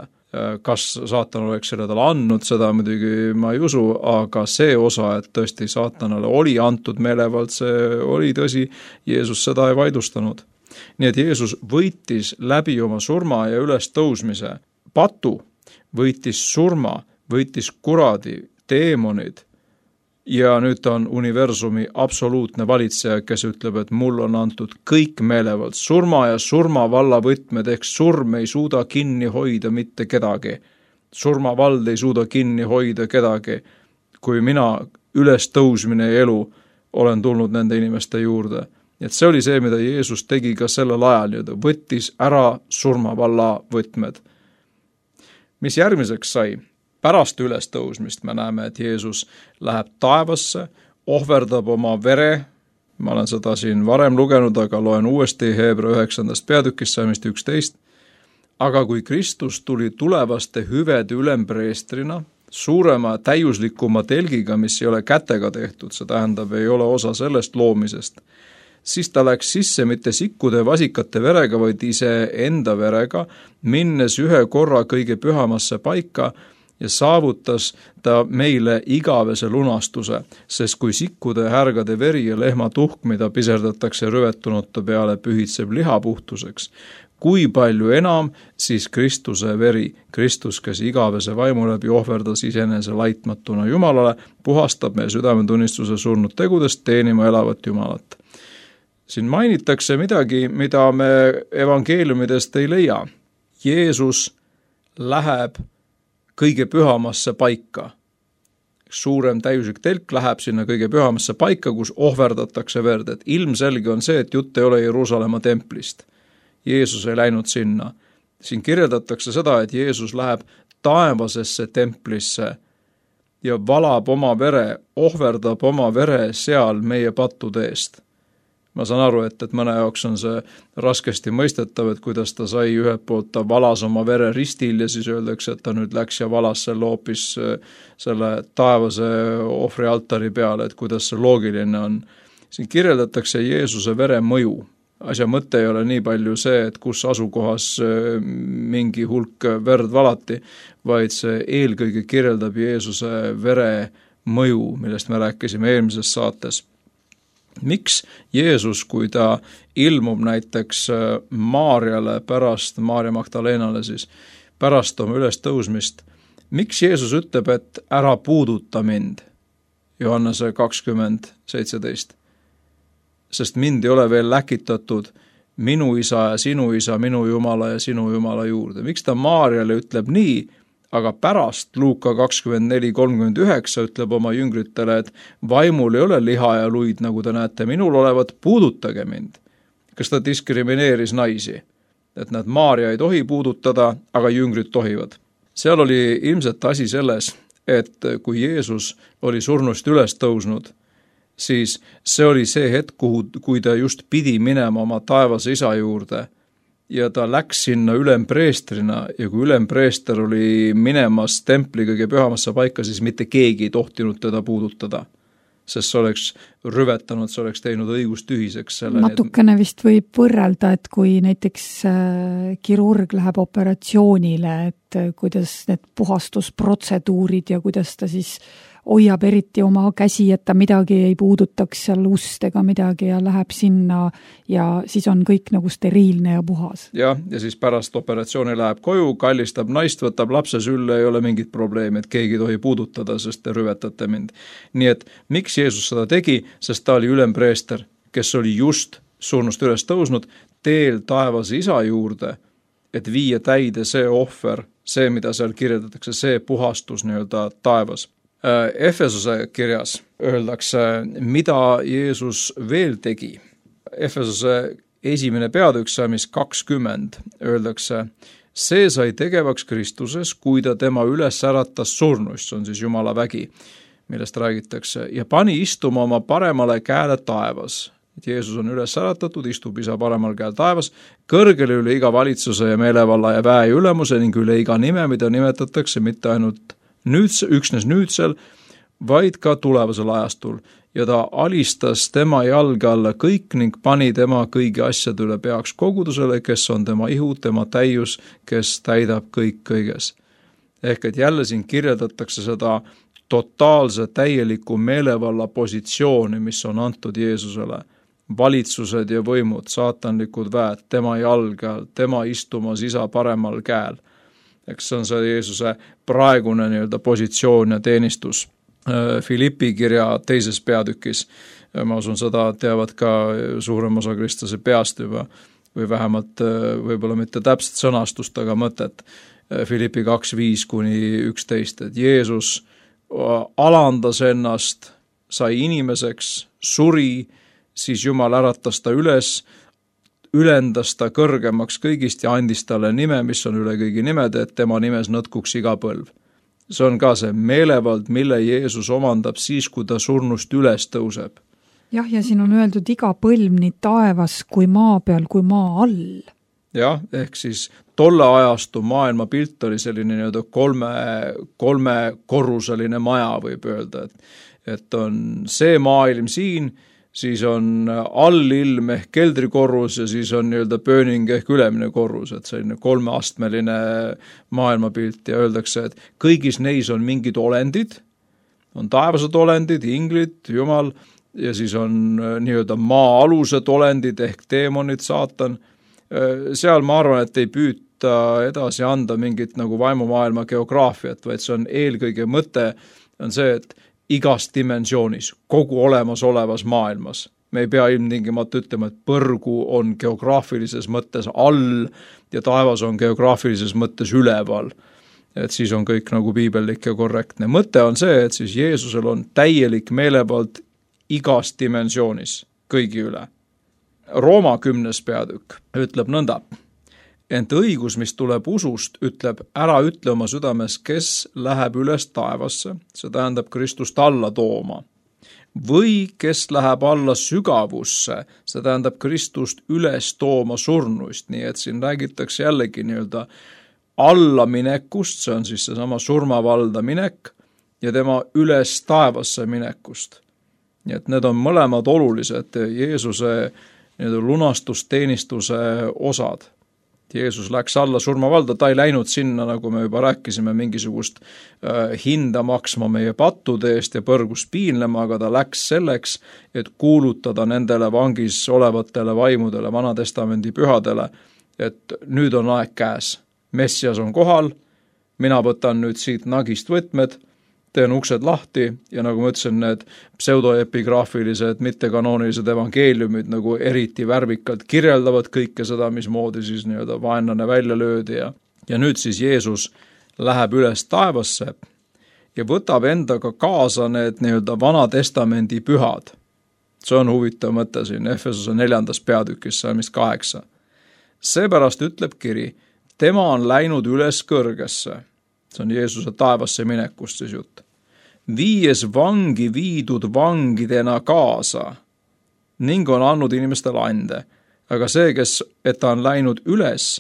C: Kas saatan oleks selle talle andnud, seda muidugi ma ei usu, aga see osa, et tõesti saatanale oli antud meelevald, see oli tõsi, Jeesus seda ei vaidlustanud. Nii et Jeesus võitis läbi oma surma ja üles tõusmise patu, võitis surma, võitis kuradi, teemonid ja nüüd ta on universumi absoluutne valitseja, kes ütleb, et mul on antud kõik meelevald, surma ja surmavalla võtmed, ehk surm ei suuda kinni hoida mitte kedagi. Surmavald ei suuda kinni hoida kedagi, kui mina ülestõusmine ja elu olen tulnud nende inimeste juurde. Et see oli see, mida Jeesus tegi ka sellel ajal, ta võttis ära surmavalla võtmed. Mis järgmiseks sai? Pärast ülestõusmist me näeme, et Jeesus läheb taevasse, ohverdab oma vere, ma olen seda siin varem lugenud, aga loen uuesti Heebra üheksandast peatükist salmist üksteist, aga kui Kristus tuli tulevaste hüvede ülempreestrina, suurema täiuslikuma telgiga, mis ei ole kätega tehtud, see tähendab, ei ole osa sellest loomisest, siis ta läks sisse mitte sikkude vasikate verega, vaid ise enda verega, minnes ühe korra kõige pühamasse paika ja saavutas ta meile igavese lunastuse, sest kui sikkude, härgade veri ja lehma tuhk, mida piserdatakse rüvetunute peale, pühitseb liha puhtuseks, kui palju enam siis Kristuse veri, Kristus, kes igavese vaimu läbi ohverdas isenese laitmatuna Jumalale, puhastab meie südametunnistuse surnud tegudest teenima elavat Jumalat. Siin mainitakse midagi, mida me evangeeliumidest ei leia. Jeesus läheb kõige pühamasse paika. Suurem täiuslik telk läheb sinna kõige pühamasse paika, kus ohverdatakse verd. Et ilmselge on see, et jutt ei ole Jeruusalemma templist. Jeesus ei läinud sinna. Siin kirjeldatakse seda, et Jeesus läheb taevasesse templisse ja valab oma vere, ohverdab oma vere seal meie pattude eest. Ma saan aru, et, et mõne jaoks on see raskesti mõistetav, et kuidas ta sai ühelt poolt, ta valas oma vere ristil ja siis öeldakse, et ta nüüd läks ja valas selle hoopis selle taevase ohvrialtari peale, et kuidas see loogiline on. Siin kirjeldatakse Jeesuse vere mõju. Asja mõte ei ole nii palju see, et kus asukohas mingi hulk verd valati, vaid see eelkõige kirjeldab Jeesuse vere mõju, millest me rääkisime eelmises saates. Miks Jeesus, kui ta ilmub näiteks Maarjale pärast, Maarja Magdalenale siis, pärast oma ülestõusmist, miks Jeesus ütleb, et ära puuduta mind, Johannese kakskümmend seitseteist? Sest mind ei ole veel läkitatud minu isa ja sinu isa, minu Jumala ja sinu Jumala juurde. Miks ta Maarjale ütleb nii, aga pärast Luuka kakskümmend neli kolmkümmend üheksa ütleb oma jüngritele, et vaimul ei ole liha ja luid, nagu te näete, minul olevat, puudutage mind. Kas ta diskrimineeris naisi? Et nad Maarja ei tohi puudutada, aga jüngrid tohivad. Seal oli ilmselt asi selles, et kui Jeesus oli surnust üles tõusnud, siis see oli see hetk, kuhu, kui ta just pidi minema oma taevase isa juurde ja ta läks sinna ülempreestrina ja kui ülempreester oli minemas templi kõige pühamasse paika, siis mitte keegi ei tohtinud teda puudutada, sest see oleks rüvetanud, see oleks teinud õigustühiseks. Selle
B: natukene vist võib võrrelda, et kui näiteks kirurg läheb operatsioonile, et kuidas need puhastusprotseduurid ja kuidas ta siis hoiab eriti oma käsi, et ta midagi ei puudutaks seal ust ega midagi ja läheb sinna ja siis on kõik nagu steriilne ja puhas.
C: Jah, ja siis pärast operatsiooni läheb koju, kallistab naist, võtab lapse sülle, ei ole mingit probleemi, et keegi tohi puudutada, sest te rüvetate mind. Nii et miks Jeesus seda tegi, sest ta oli ülempreester, kes oli just surnust üles tõusnud teel taevase isa juurde, et viia täide see ohver, see, mida seal kirjeldatakse, see puhastus nii-öelda taevas. Efesose kirjas öeldakse, mida Jeesus veel tegi. Efesose esimene peatükk, mis kakskümmend, öeldakse, see sai tegevaks Kristuses, kui ta tema üles äratas surnust, see on siis Jumala vägi, millest räägitakse, ja pani istuma oma paremale käele taevas. Et Jeesus on üles äratatud, istub isa paremal käel taevas, kõrgele üle iga valitsuse ja meelevalla ja väe ülemuse ning üle iga nime, mida nimetatakse mitte ainult nüüd, üksnes nüüdsel, vaid ka tulevasel ajastul. Ja ta alistas tema jalge alla kõik ning pani tema kõigi asjade üle peaks kogudusele, kes on tema ihu, tema täius, kes täidab kõik kõiges. Ehk et jälle siin kirjeldatakse seda totaalse täieliku meelevalla positsiooni, mis on antud Jeesusele. Valitsused ja võimud, saatanlikud väed, tema jalge all, tema istumas isa paremal käel. Eks see on see Jeesuse praegune nii-öelda positsioon ja teenistus. Philippi kirja teises peatükis. Ma usun, seda teavad ka suurem osa kristlase peast juba, või vähemalt võib-olla mitte täpset sõnastust, aga mõtet. Philippi kaks viis kuni üksteist, et Jeesus alandas ennast, sai inimeseks, suri, siis Jumal äratas ta üles, ülendas ta kõrgemaks kõigist ja andis talle nime, mis on üle kõigi nimede, et tema nimes nõtkuks iga põlv. See on ka see meelevald, mille Jeesus omandab siis, kui ta surnust üles tõuseb.
B: Jah, ja siin on öeldud iga põlv nii taevas kui maa peal kui maa all.
C: Jah, ehk siis tolle ajastu maailma pilt oli selline nii-öelda kolme, kolme korruseline maja, võib öelda, et, et on see maailm siin, siis on allilm ehk keldrikorrus ja siis on nii-öelda pööning ehk ülemine korrus, et selline kolmeastmeline maailmapilt ja öeldakse, et kõigis neis on mingid olendid, on taevased olendid, inglid, Jumal, ja siis on nii-öelda maa-alused olendid ehk teemonid, saatan. Seal ma arvan, et ei püüta edasi anda mingit nagu vaimumaailma geograafiat, vaid see on eelkõige mõte, on see, et igas dimensioonis, kogu olemasolevas maailmas. Me ei pea ilmtingimata ütlema, et põrgu on geograafilises mõttes all ja taevas on geograafilises mõttes üleval. Et siis on kõik nagu piibellik ja korrektne. Mõte on see, et siis Jeesusel on täielik meelevald igas dimensioonis kõigi üle. Rooma kümnes peatükk ütleb nõnda, ent õigus, mis tuleb usust, ütleb, ära ütle oma südames, kes läheb üles taevasse, see tähendab Kristust alla tooma, või kes läheb alla sügavusse, see tähendab Kristust üles tooma surnuist, nii et siin räägitakse jällegi nii-öelda allaminekust, see on siis seesama surmavalda minek, ja tema üles taevasse minekust. Nii et need on mõlemad olulised Jeesuse nii-öelda lunastusteenistuse osad. Jeesus läks alla surmavalda, ta ei läinud sinna, nagu me juba rääkisime, mingisugust äh, hinda maksma meie pattude eest ja põrgus piinlema, aga ta läks selleks, et kuulutada nendele vangis olevatele vaimudele, Vanatestamendi pühadele, et nüüd on aeg käes. Messias on kohal, mina võtan nüüd siit nagist võtmed, teen uksed lahti ja nagu ma ütlesin, need pseudoepigraafilised, mittekanoonilised evangeeliumid nagu eriti värvikalt kirjeldavad kõike seda, mismoodi siis nii-öelda vaenlane välja löödi ja, ja nüüd siis Jeesus läheb üles taevasse ja võtab endaga kaasa need nii-öelda Vanatestamendi pühad. See on huvitav mõte siin Efesose neljandas peatükis, salmist kaheksa. Seepärast ütleb kiri, tema on läinud üles kõrgesse. See on Jeesuse taevasse minekust siis jutt. Viies vangi viidud vangidena kaasa ning on andnud inimestele ande. Aga see, kes, et ta on läinud üles,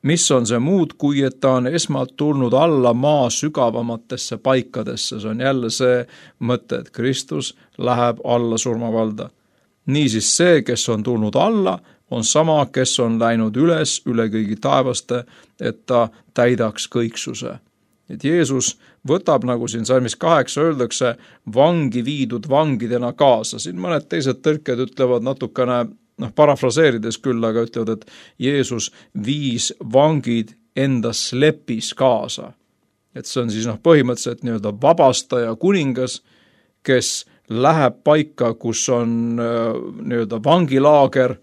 C: mis on see muud, kui et ta on esmalt tulnud alla maa sügavamatesse paikadesse. See on jälle see mõte, et Kristus läheb alla surmavalda. Niisiis see, kes on tulnud alla, on sama, kes on läinud üles üle kõigi taevaste, et ta täidaks kõiksuse. Et Jeesus võtab, nagu siin salmis kaheksa öeldakse, vangi viidud vangidena kaasa. Siin mõned teised tõlked ütlevad natukene, noh, parafraseerides küll, aga ütlevad, et Jeesus viis vangid enda slepis kaasa. Et see on siis noh, põhimõtteliselt nii-öelda vabastaja kuningas, kes läheb paika, kus on nii-öelda vangilaager,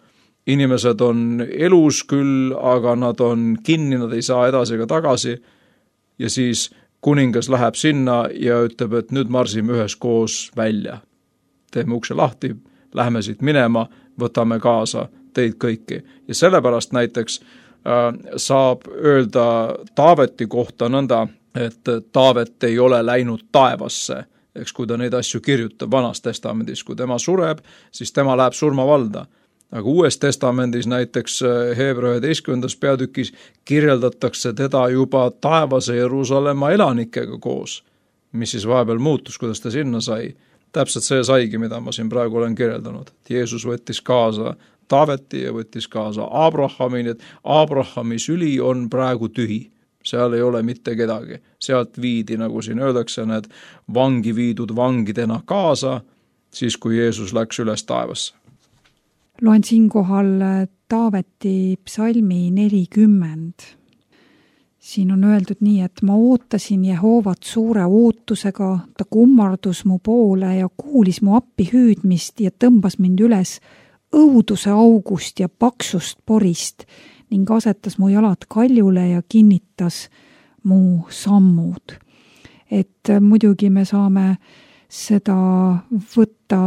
C: inimesed on elus küll, aga nad on kinni, nad ei saa edasi ega tagasi, ja siis kuningas läheb sinna ja ütleb, et nüüd marsime üheskoos välja. Teeme ukse lahti, läheme siit minema, võtame kaasa teid kõiki. Ja sellepärast näiteks äh, saab öelda Taaveti kohta nõnda, et Taavet ei ole läinud taevasse, eks kui ta neid asju kirjutab Vanas testamendis, kui tema sureb, siis tema läheb surmavalda. Aga Uues testamendis näiteks Heebra üheteistkümnendas peatükis kirjeldatakse teda juba taevase Jeruusalemma elanikega koos, mis siis vahepeal muutus, kuidas ta sinna sai. Täpselt see saigi, mida ma siin praegu olen kirjeldanud. Jeesus võttis kaasa Taaveti ja võttis kaasa Abrahami, et Abrahami süli on praegu tühi. Seal ei ole mitte kedagi. Sealt viidi, nagu siin öeldakse, need vangi viidud vangidena kaasa, siis kui Jeesus läks üles taevasse.
B: Loen siinkohal Taaveti psalmi nelikümmend. siin on öeldud nii, et ma ootasin Jehoovat suure ootusega, ta kummardus mu poole ja kuulis mu appi hüüdmist ja tõmbas mind üles õuduse august ja paksust porist ning asetas mu jalad kaljule ja kinnitas mu sammud. Et muidugi me saame seda võtta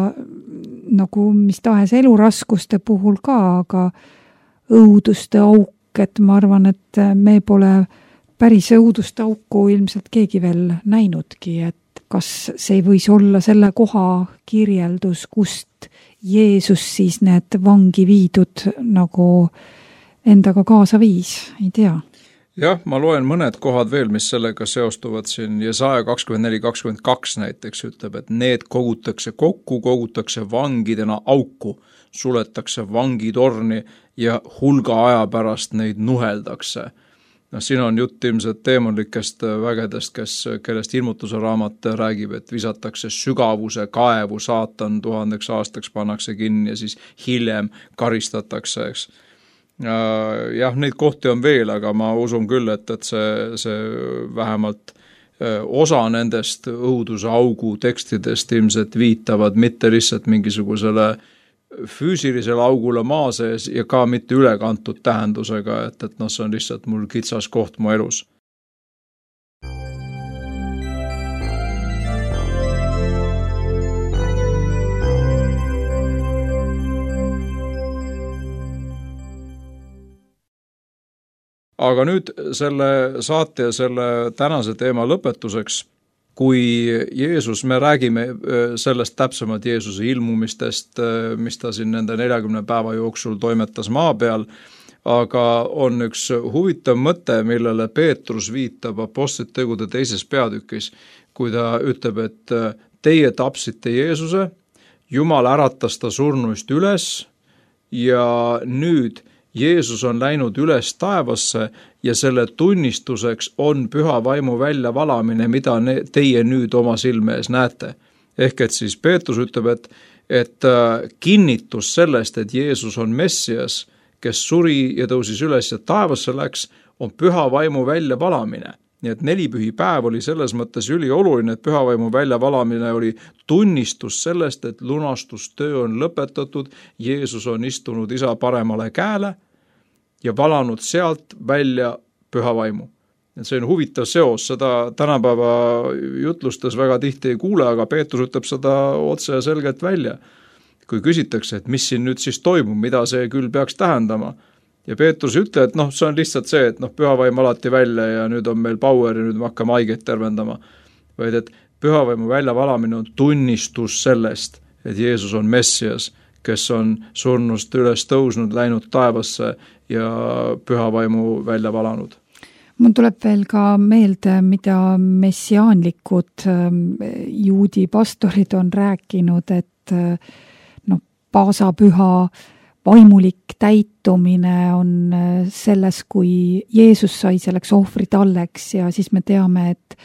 B: nagu mis tahes eluraskuste puhul ka, aga õuduste auk, et ma arvan, et me pole päris õuduste auku ilmselt keegi veel näinudki, et kas see võis olla selle koha kirjeldus, kust Jeesus siis need vangi viidud nagu endaga kaasa viis, ei tea.
C: Jah, ma loen mõned kohad veel, mis sellega seostuvad siin. Jesaja kakskümmend neli kakskümmend kaks näiteks ütleb, et need kogutakse kokku, kogutakse vangidena auku, suletakse vangitorni ja hulga aja pärast neid nuheldakse. No, siin on jutt ilmselt teemonlikest vägedest, kes, kellest ilmutuse raamat räägib, et visatakse sügavuse kaevu, saatan tuhandeks aastaks pannakse kinni ja siis hiljem karistatakse, eks. Jah, neid kohti on veel, aga ma usun küll, et, et see, see vähemalt osa nendest õuduse augu tekstidest ilmselt viitavad mitte lihtsalt mingisugusele füüsilisele augule maa sees ja ka mitte ülekantud tähendusega, et, et noh, see on lihtsalt mul kitsas koht mu elus. Aga nüüd selle saate ja selle tänase teema lõpetuseks, kui Jeesus, me räägime sellest täpsemalt Jeesuse ilmumistest, mis ta siin nende neljakümne päeva jooksul toimetas maa peal, aga on üks huvitav mõte, millele Peetrus viitab Apostlite tegude teises peatükis, kui ta ütleb, et teie tapsite Jeesuse, Jumal äratas ta surnuist üles ja nüüd Jeesus on läinud üles taevasse ja selle tunnistuseks on püha vaimu väljavalamine, mida teie nüüd oma silme ees näete. Ehk et siis Peetrus ütleb, et, et kinnitus sellest, et Jeesus on Messias, kes suri ja tõusis üles ja taevasse läks, on püha vaimu väljavalamine. Nii et nelipühi päev oli selles mõttes ülioluline, et pühavaimu väljavalamine oli tunnistus sellest, et lunastustöö on lõpetatud, Jeesus on istunud isa paremale käele ja valanud sealt välja pühavaimu. See on huvitav seos, seda tänapäeva jutlustes väga tihti ei kuule, aga Peetrus ütleb seda otse ja selgelt välja. Kui küsitakse, et mis siin nüüd siis toimub, mida see küll peaks tähendama. Ja Peetrus ütleb, et noh, see on lihtsalt see, et noh, pühavaim alati välja ja nüüd on meil power ja nüüd me hakkame haigeid tervendama. Vaid et pühavaimu väljavalamine on tunnistus sellest, et Jeesus on Messias, kes on surnust üles tõusnud, läinud taevasse ja pühavaimu välja valanud.
B: Mul tuleb veel ka meelde, mida messiaanlikud juudi pastorid on rääkinud, et noh, paasapüha vaimulik täitumine on selles, kui Jeesus sai selleks ohvritalleks ja siis me teame, et,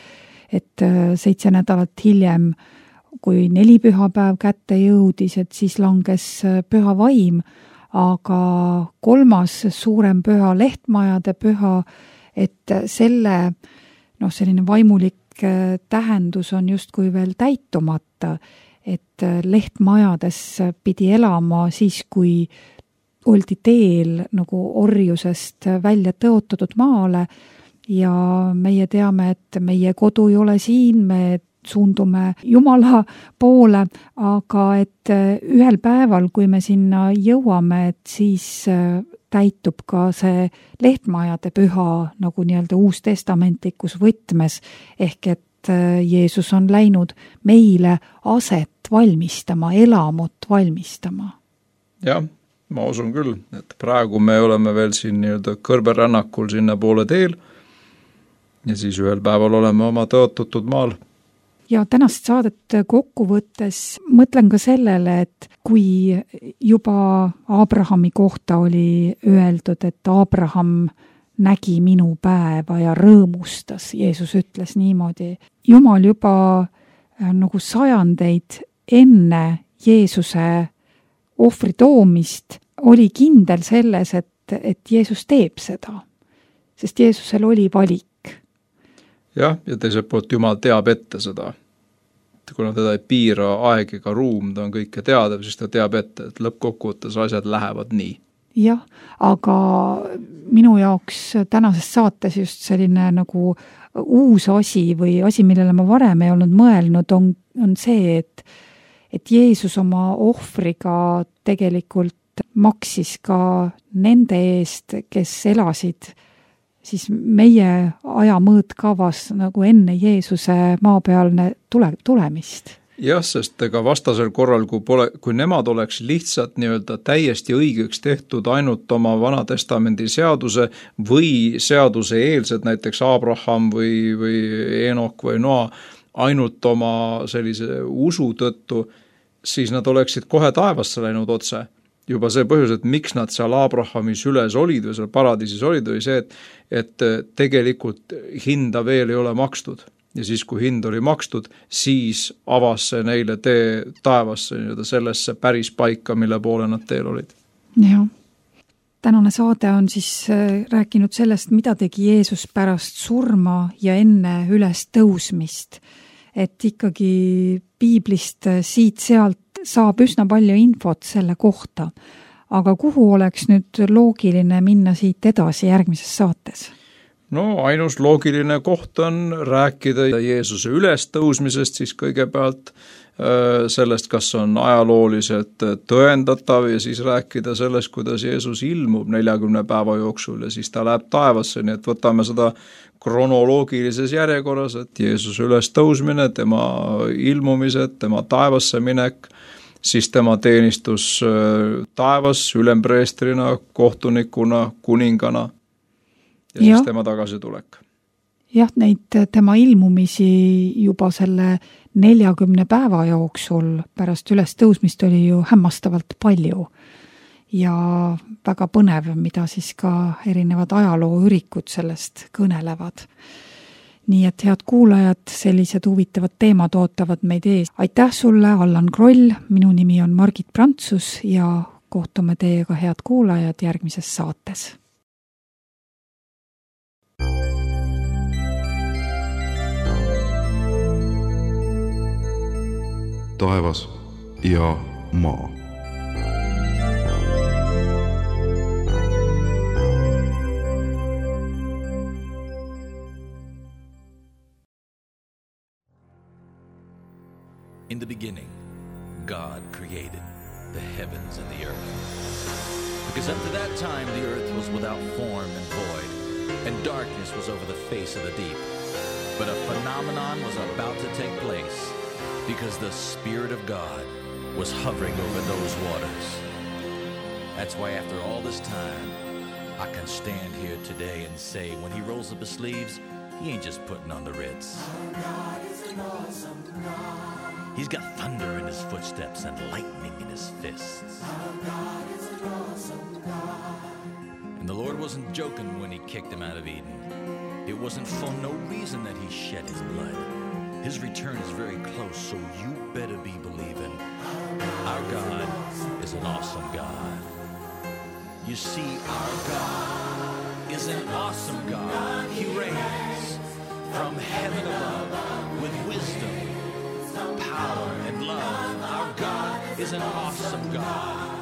B: et seitse nädalat hiljem, kui neli pühapäev kätte jõudis, et siis langes püha vaim, aga kolmas suurem püha, lehtmajade püha, et selle noh, selline vaimulik tähendus on justkui veel täitumata, et lehtmajades pidi elama siis, kui oldi teel nagu orjusest välja tõotatud maale ja meie teame, et meie kodu ei ole siin, me suundume Jumala poole, aga et ühel päeval, kui me sinna jõuame, et siis täitub ka see lehtmajade püha nagu nii-öelda uustestamentlikus võtmes, ehk et Jeesus on läinud meile aset valmistama, elamut valmistama.
C: Jah, ma usun küll, et praegu me oleme veel siin nii-öelda kõrberännakul sinna poole teel ja siis ühel päeval oleme oma tõotatud maal.
B: Ja tänast saadet kokku võttes mõtlen ka sellele, et kui juba Abrahami kohta oli öeldud, et Abraham nägi minu päeva ja rõõmustas, Jeesus ütles niimoodi. Jumal juba nagu sajandeid enne Jeesuse ohvri toomist oli kindel selles, et, et Jeesus teeb seda. sest Jeesusel oli valik.
C: jah, ja teiselt poolt Jumal teab ette seda. Kuna teda ei piira aeg ega ruum, ta on kõike teada, siis ta teab ette, et lõppkokkuvõttes asjad lähevad nii.
B: Jah, aga minu jaoks tänases saates just selline nagu uus asi või asi, millele ma varem ei olnud mõelnud, on, on see, et, et Jeesus oma ohvriga tegelikult maksis ka nende eest, kes elasid siis meie aja mõõtkavas nagu enne Jeesuse maapealne tule, tulemist.
C: Jah, sest ega vastasel korral, kui, pole, kui nemad oleks lihtsalt nii-öelda täiesti õigeks tehtud ainult oma Vanatestamendi seaduse või seaduse eelsed, näiteks Abraham või, või Enok või Noa, ainult oma sellise usu tõttu, siis nad oleksid kohe taevasse läinud otse. Juba see põhjus, et miks nad seal Abrahamis üles olid või seal paradiisis olid, oli see, et, et tegelikult hinda veel ei ole makstud. Ja siis, kui hind oli makstud, siis avas see neile tee taevasse, sellesse päris paika, mille poole nad teel olid.
B: Jah. Tänane saade on siis rääkinud sellest, mida tegi Jeesus pärast surma ja enne üles tõusmist. Et ikkagi piiblist siit-sealt saab üsna palju infot selle kohta. Aga kuhu oleks nüüd loogiline minna siit edasi järgmises saates?
C: No ainus loogiline koht on rääkida Jeesuse ülestõusmisest, siis kõigepealt sellest, kas on ajalooliselt tõendatav ja siis rääkida sellest, kuidas Jeesus ilmub neljakümne päeva jooksul ja siis ta läheb taevasse, nii et võtame seda kronoloogilises järjekorras, et Jeesuse ülestõusmine, tema ilmumised, tema taevasse minek, siis tema teenistus taevas ülempreestrina, kohtunikuna, kuningana ja, ja siis tema tagasitulek.
B: Jah, neid tema ilmumisi juba selle neljakümne päeva jooksul pärast ülestõusmist oli ju hämmastavalt palju ja väga põnev, mida siis ka erinevad ajalooürikud sellest kõnelevad. Nii et head kuulajad, sellised huvitavad teemad ootavad meid ees. Aitäh sulle, Allan Kroll, minu nimi on Margit Prantsus ja kohtume teiega, head kuulajad, järgmises saates.
A: Taevas ja maa.
D: In the beginning, God created the heavens and the earth. Because up to that time, the earth was without form and void, and darkness was over the face of the deep. But a phenomenon was about to take place, because the Spirit of God was hovering over those waters. That's why after all this time, I can stand here today and say, when he rolls up his sleeves, he ain't just putting on the Ritz. Our God is an awesome God. He's got thunder in his footsteps and lightning in his fists. Our God is an awesome God. And the Lord wasn't joking when he kicked him out of Eden. It wasn't for no reason that he shed his blood. His return is very close, so you better be believing. Our God is an awesome God. You see, our God is an awesome God. He reigns from heaven above with wisdom, power, and love. Our God is an awesome God.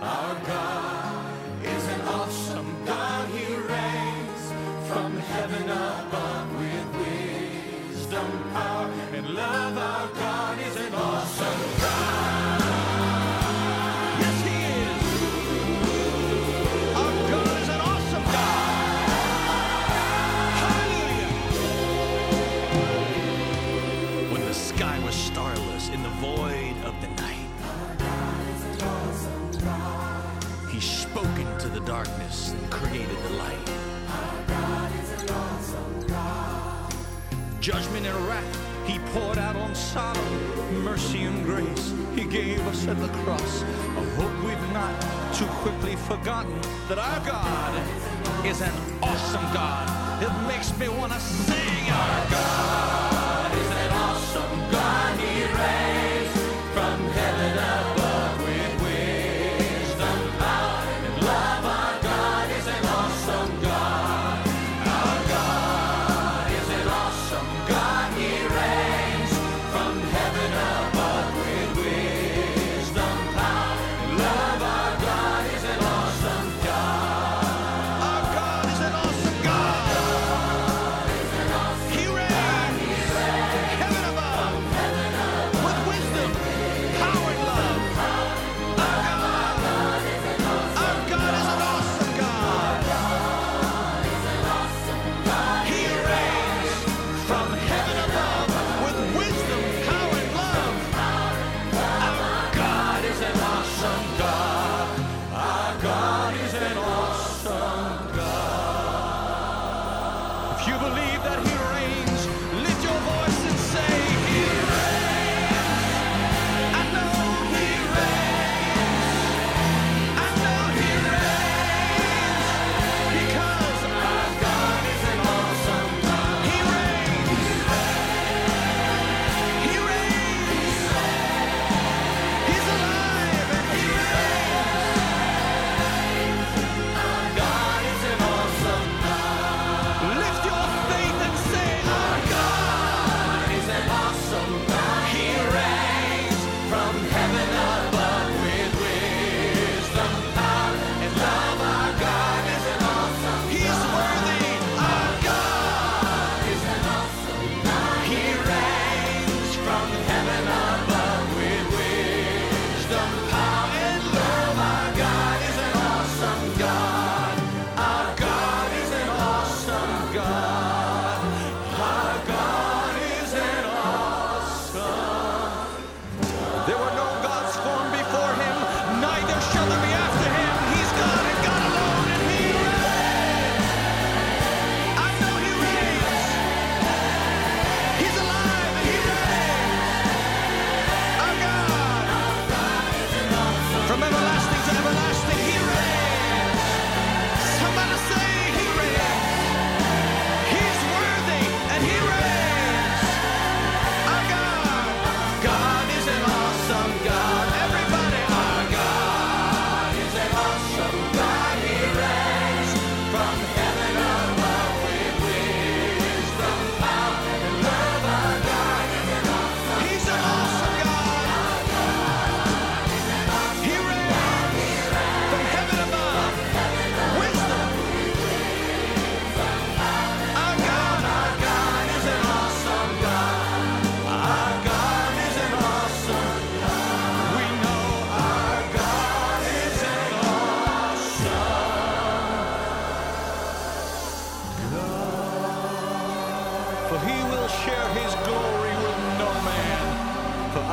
D: Our God is an awesome God. He reigns from heaven above with wisdom, power, and love. Our God is an awesome God. Yes, he is. Our God is an awesome God. Hallelujah. When the sky was starless in the void of the night, our God is an awesome God. He spoke into the darkness and created the light. Our God is an awesome God. Judgment and wrath he poured out on Sodom. Mercy and grace he gave us at the cross. I hope we've not too quickly forgotten that our God is an awesome God. It makes me want to sing. Our God is an awesome God. He reigns from heaven above with wisdom, power, and love. Our God is an awesome God.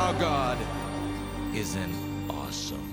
D: Our God is an awesome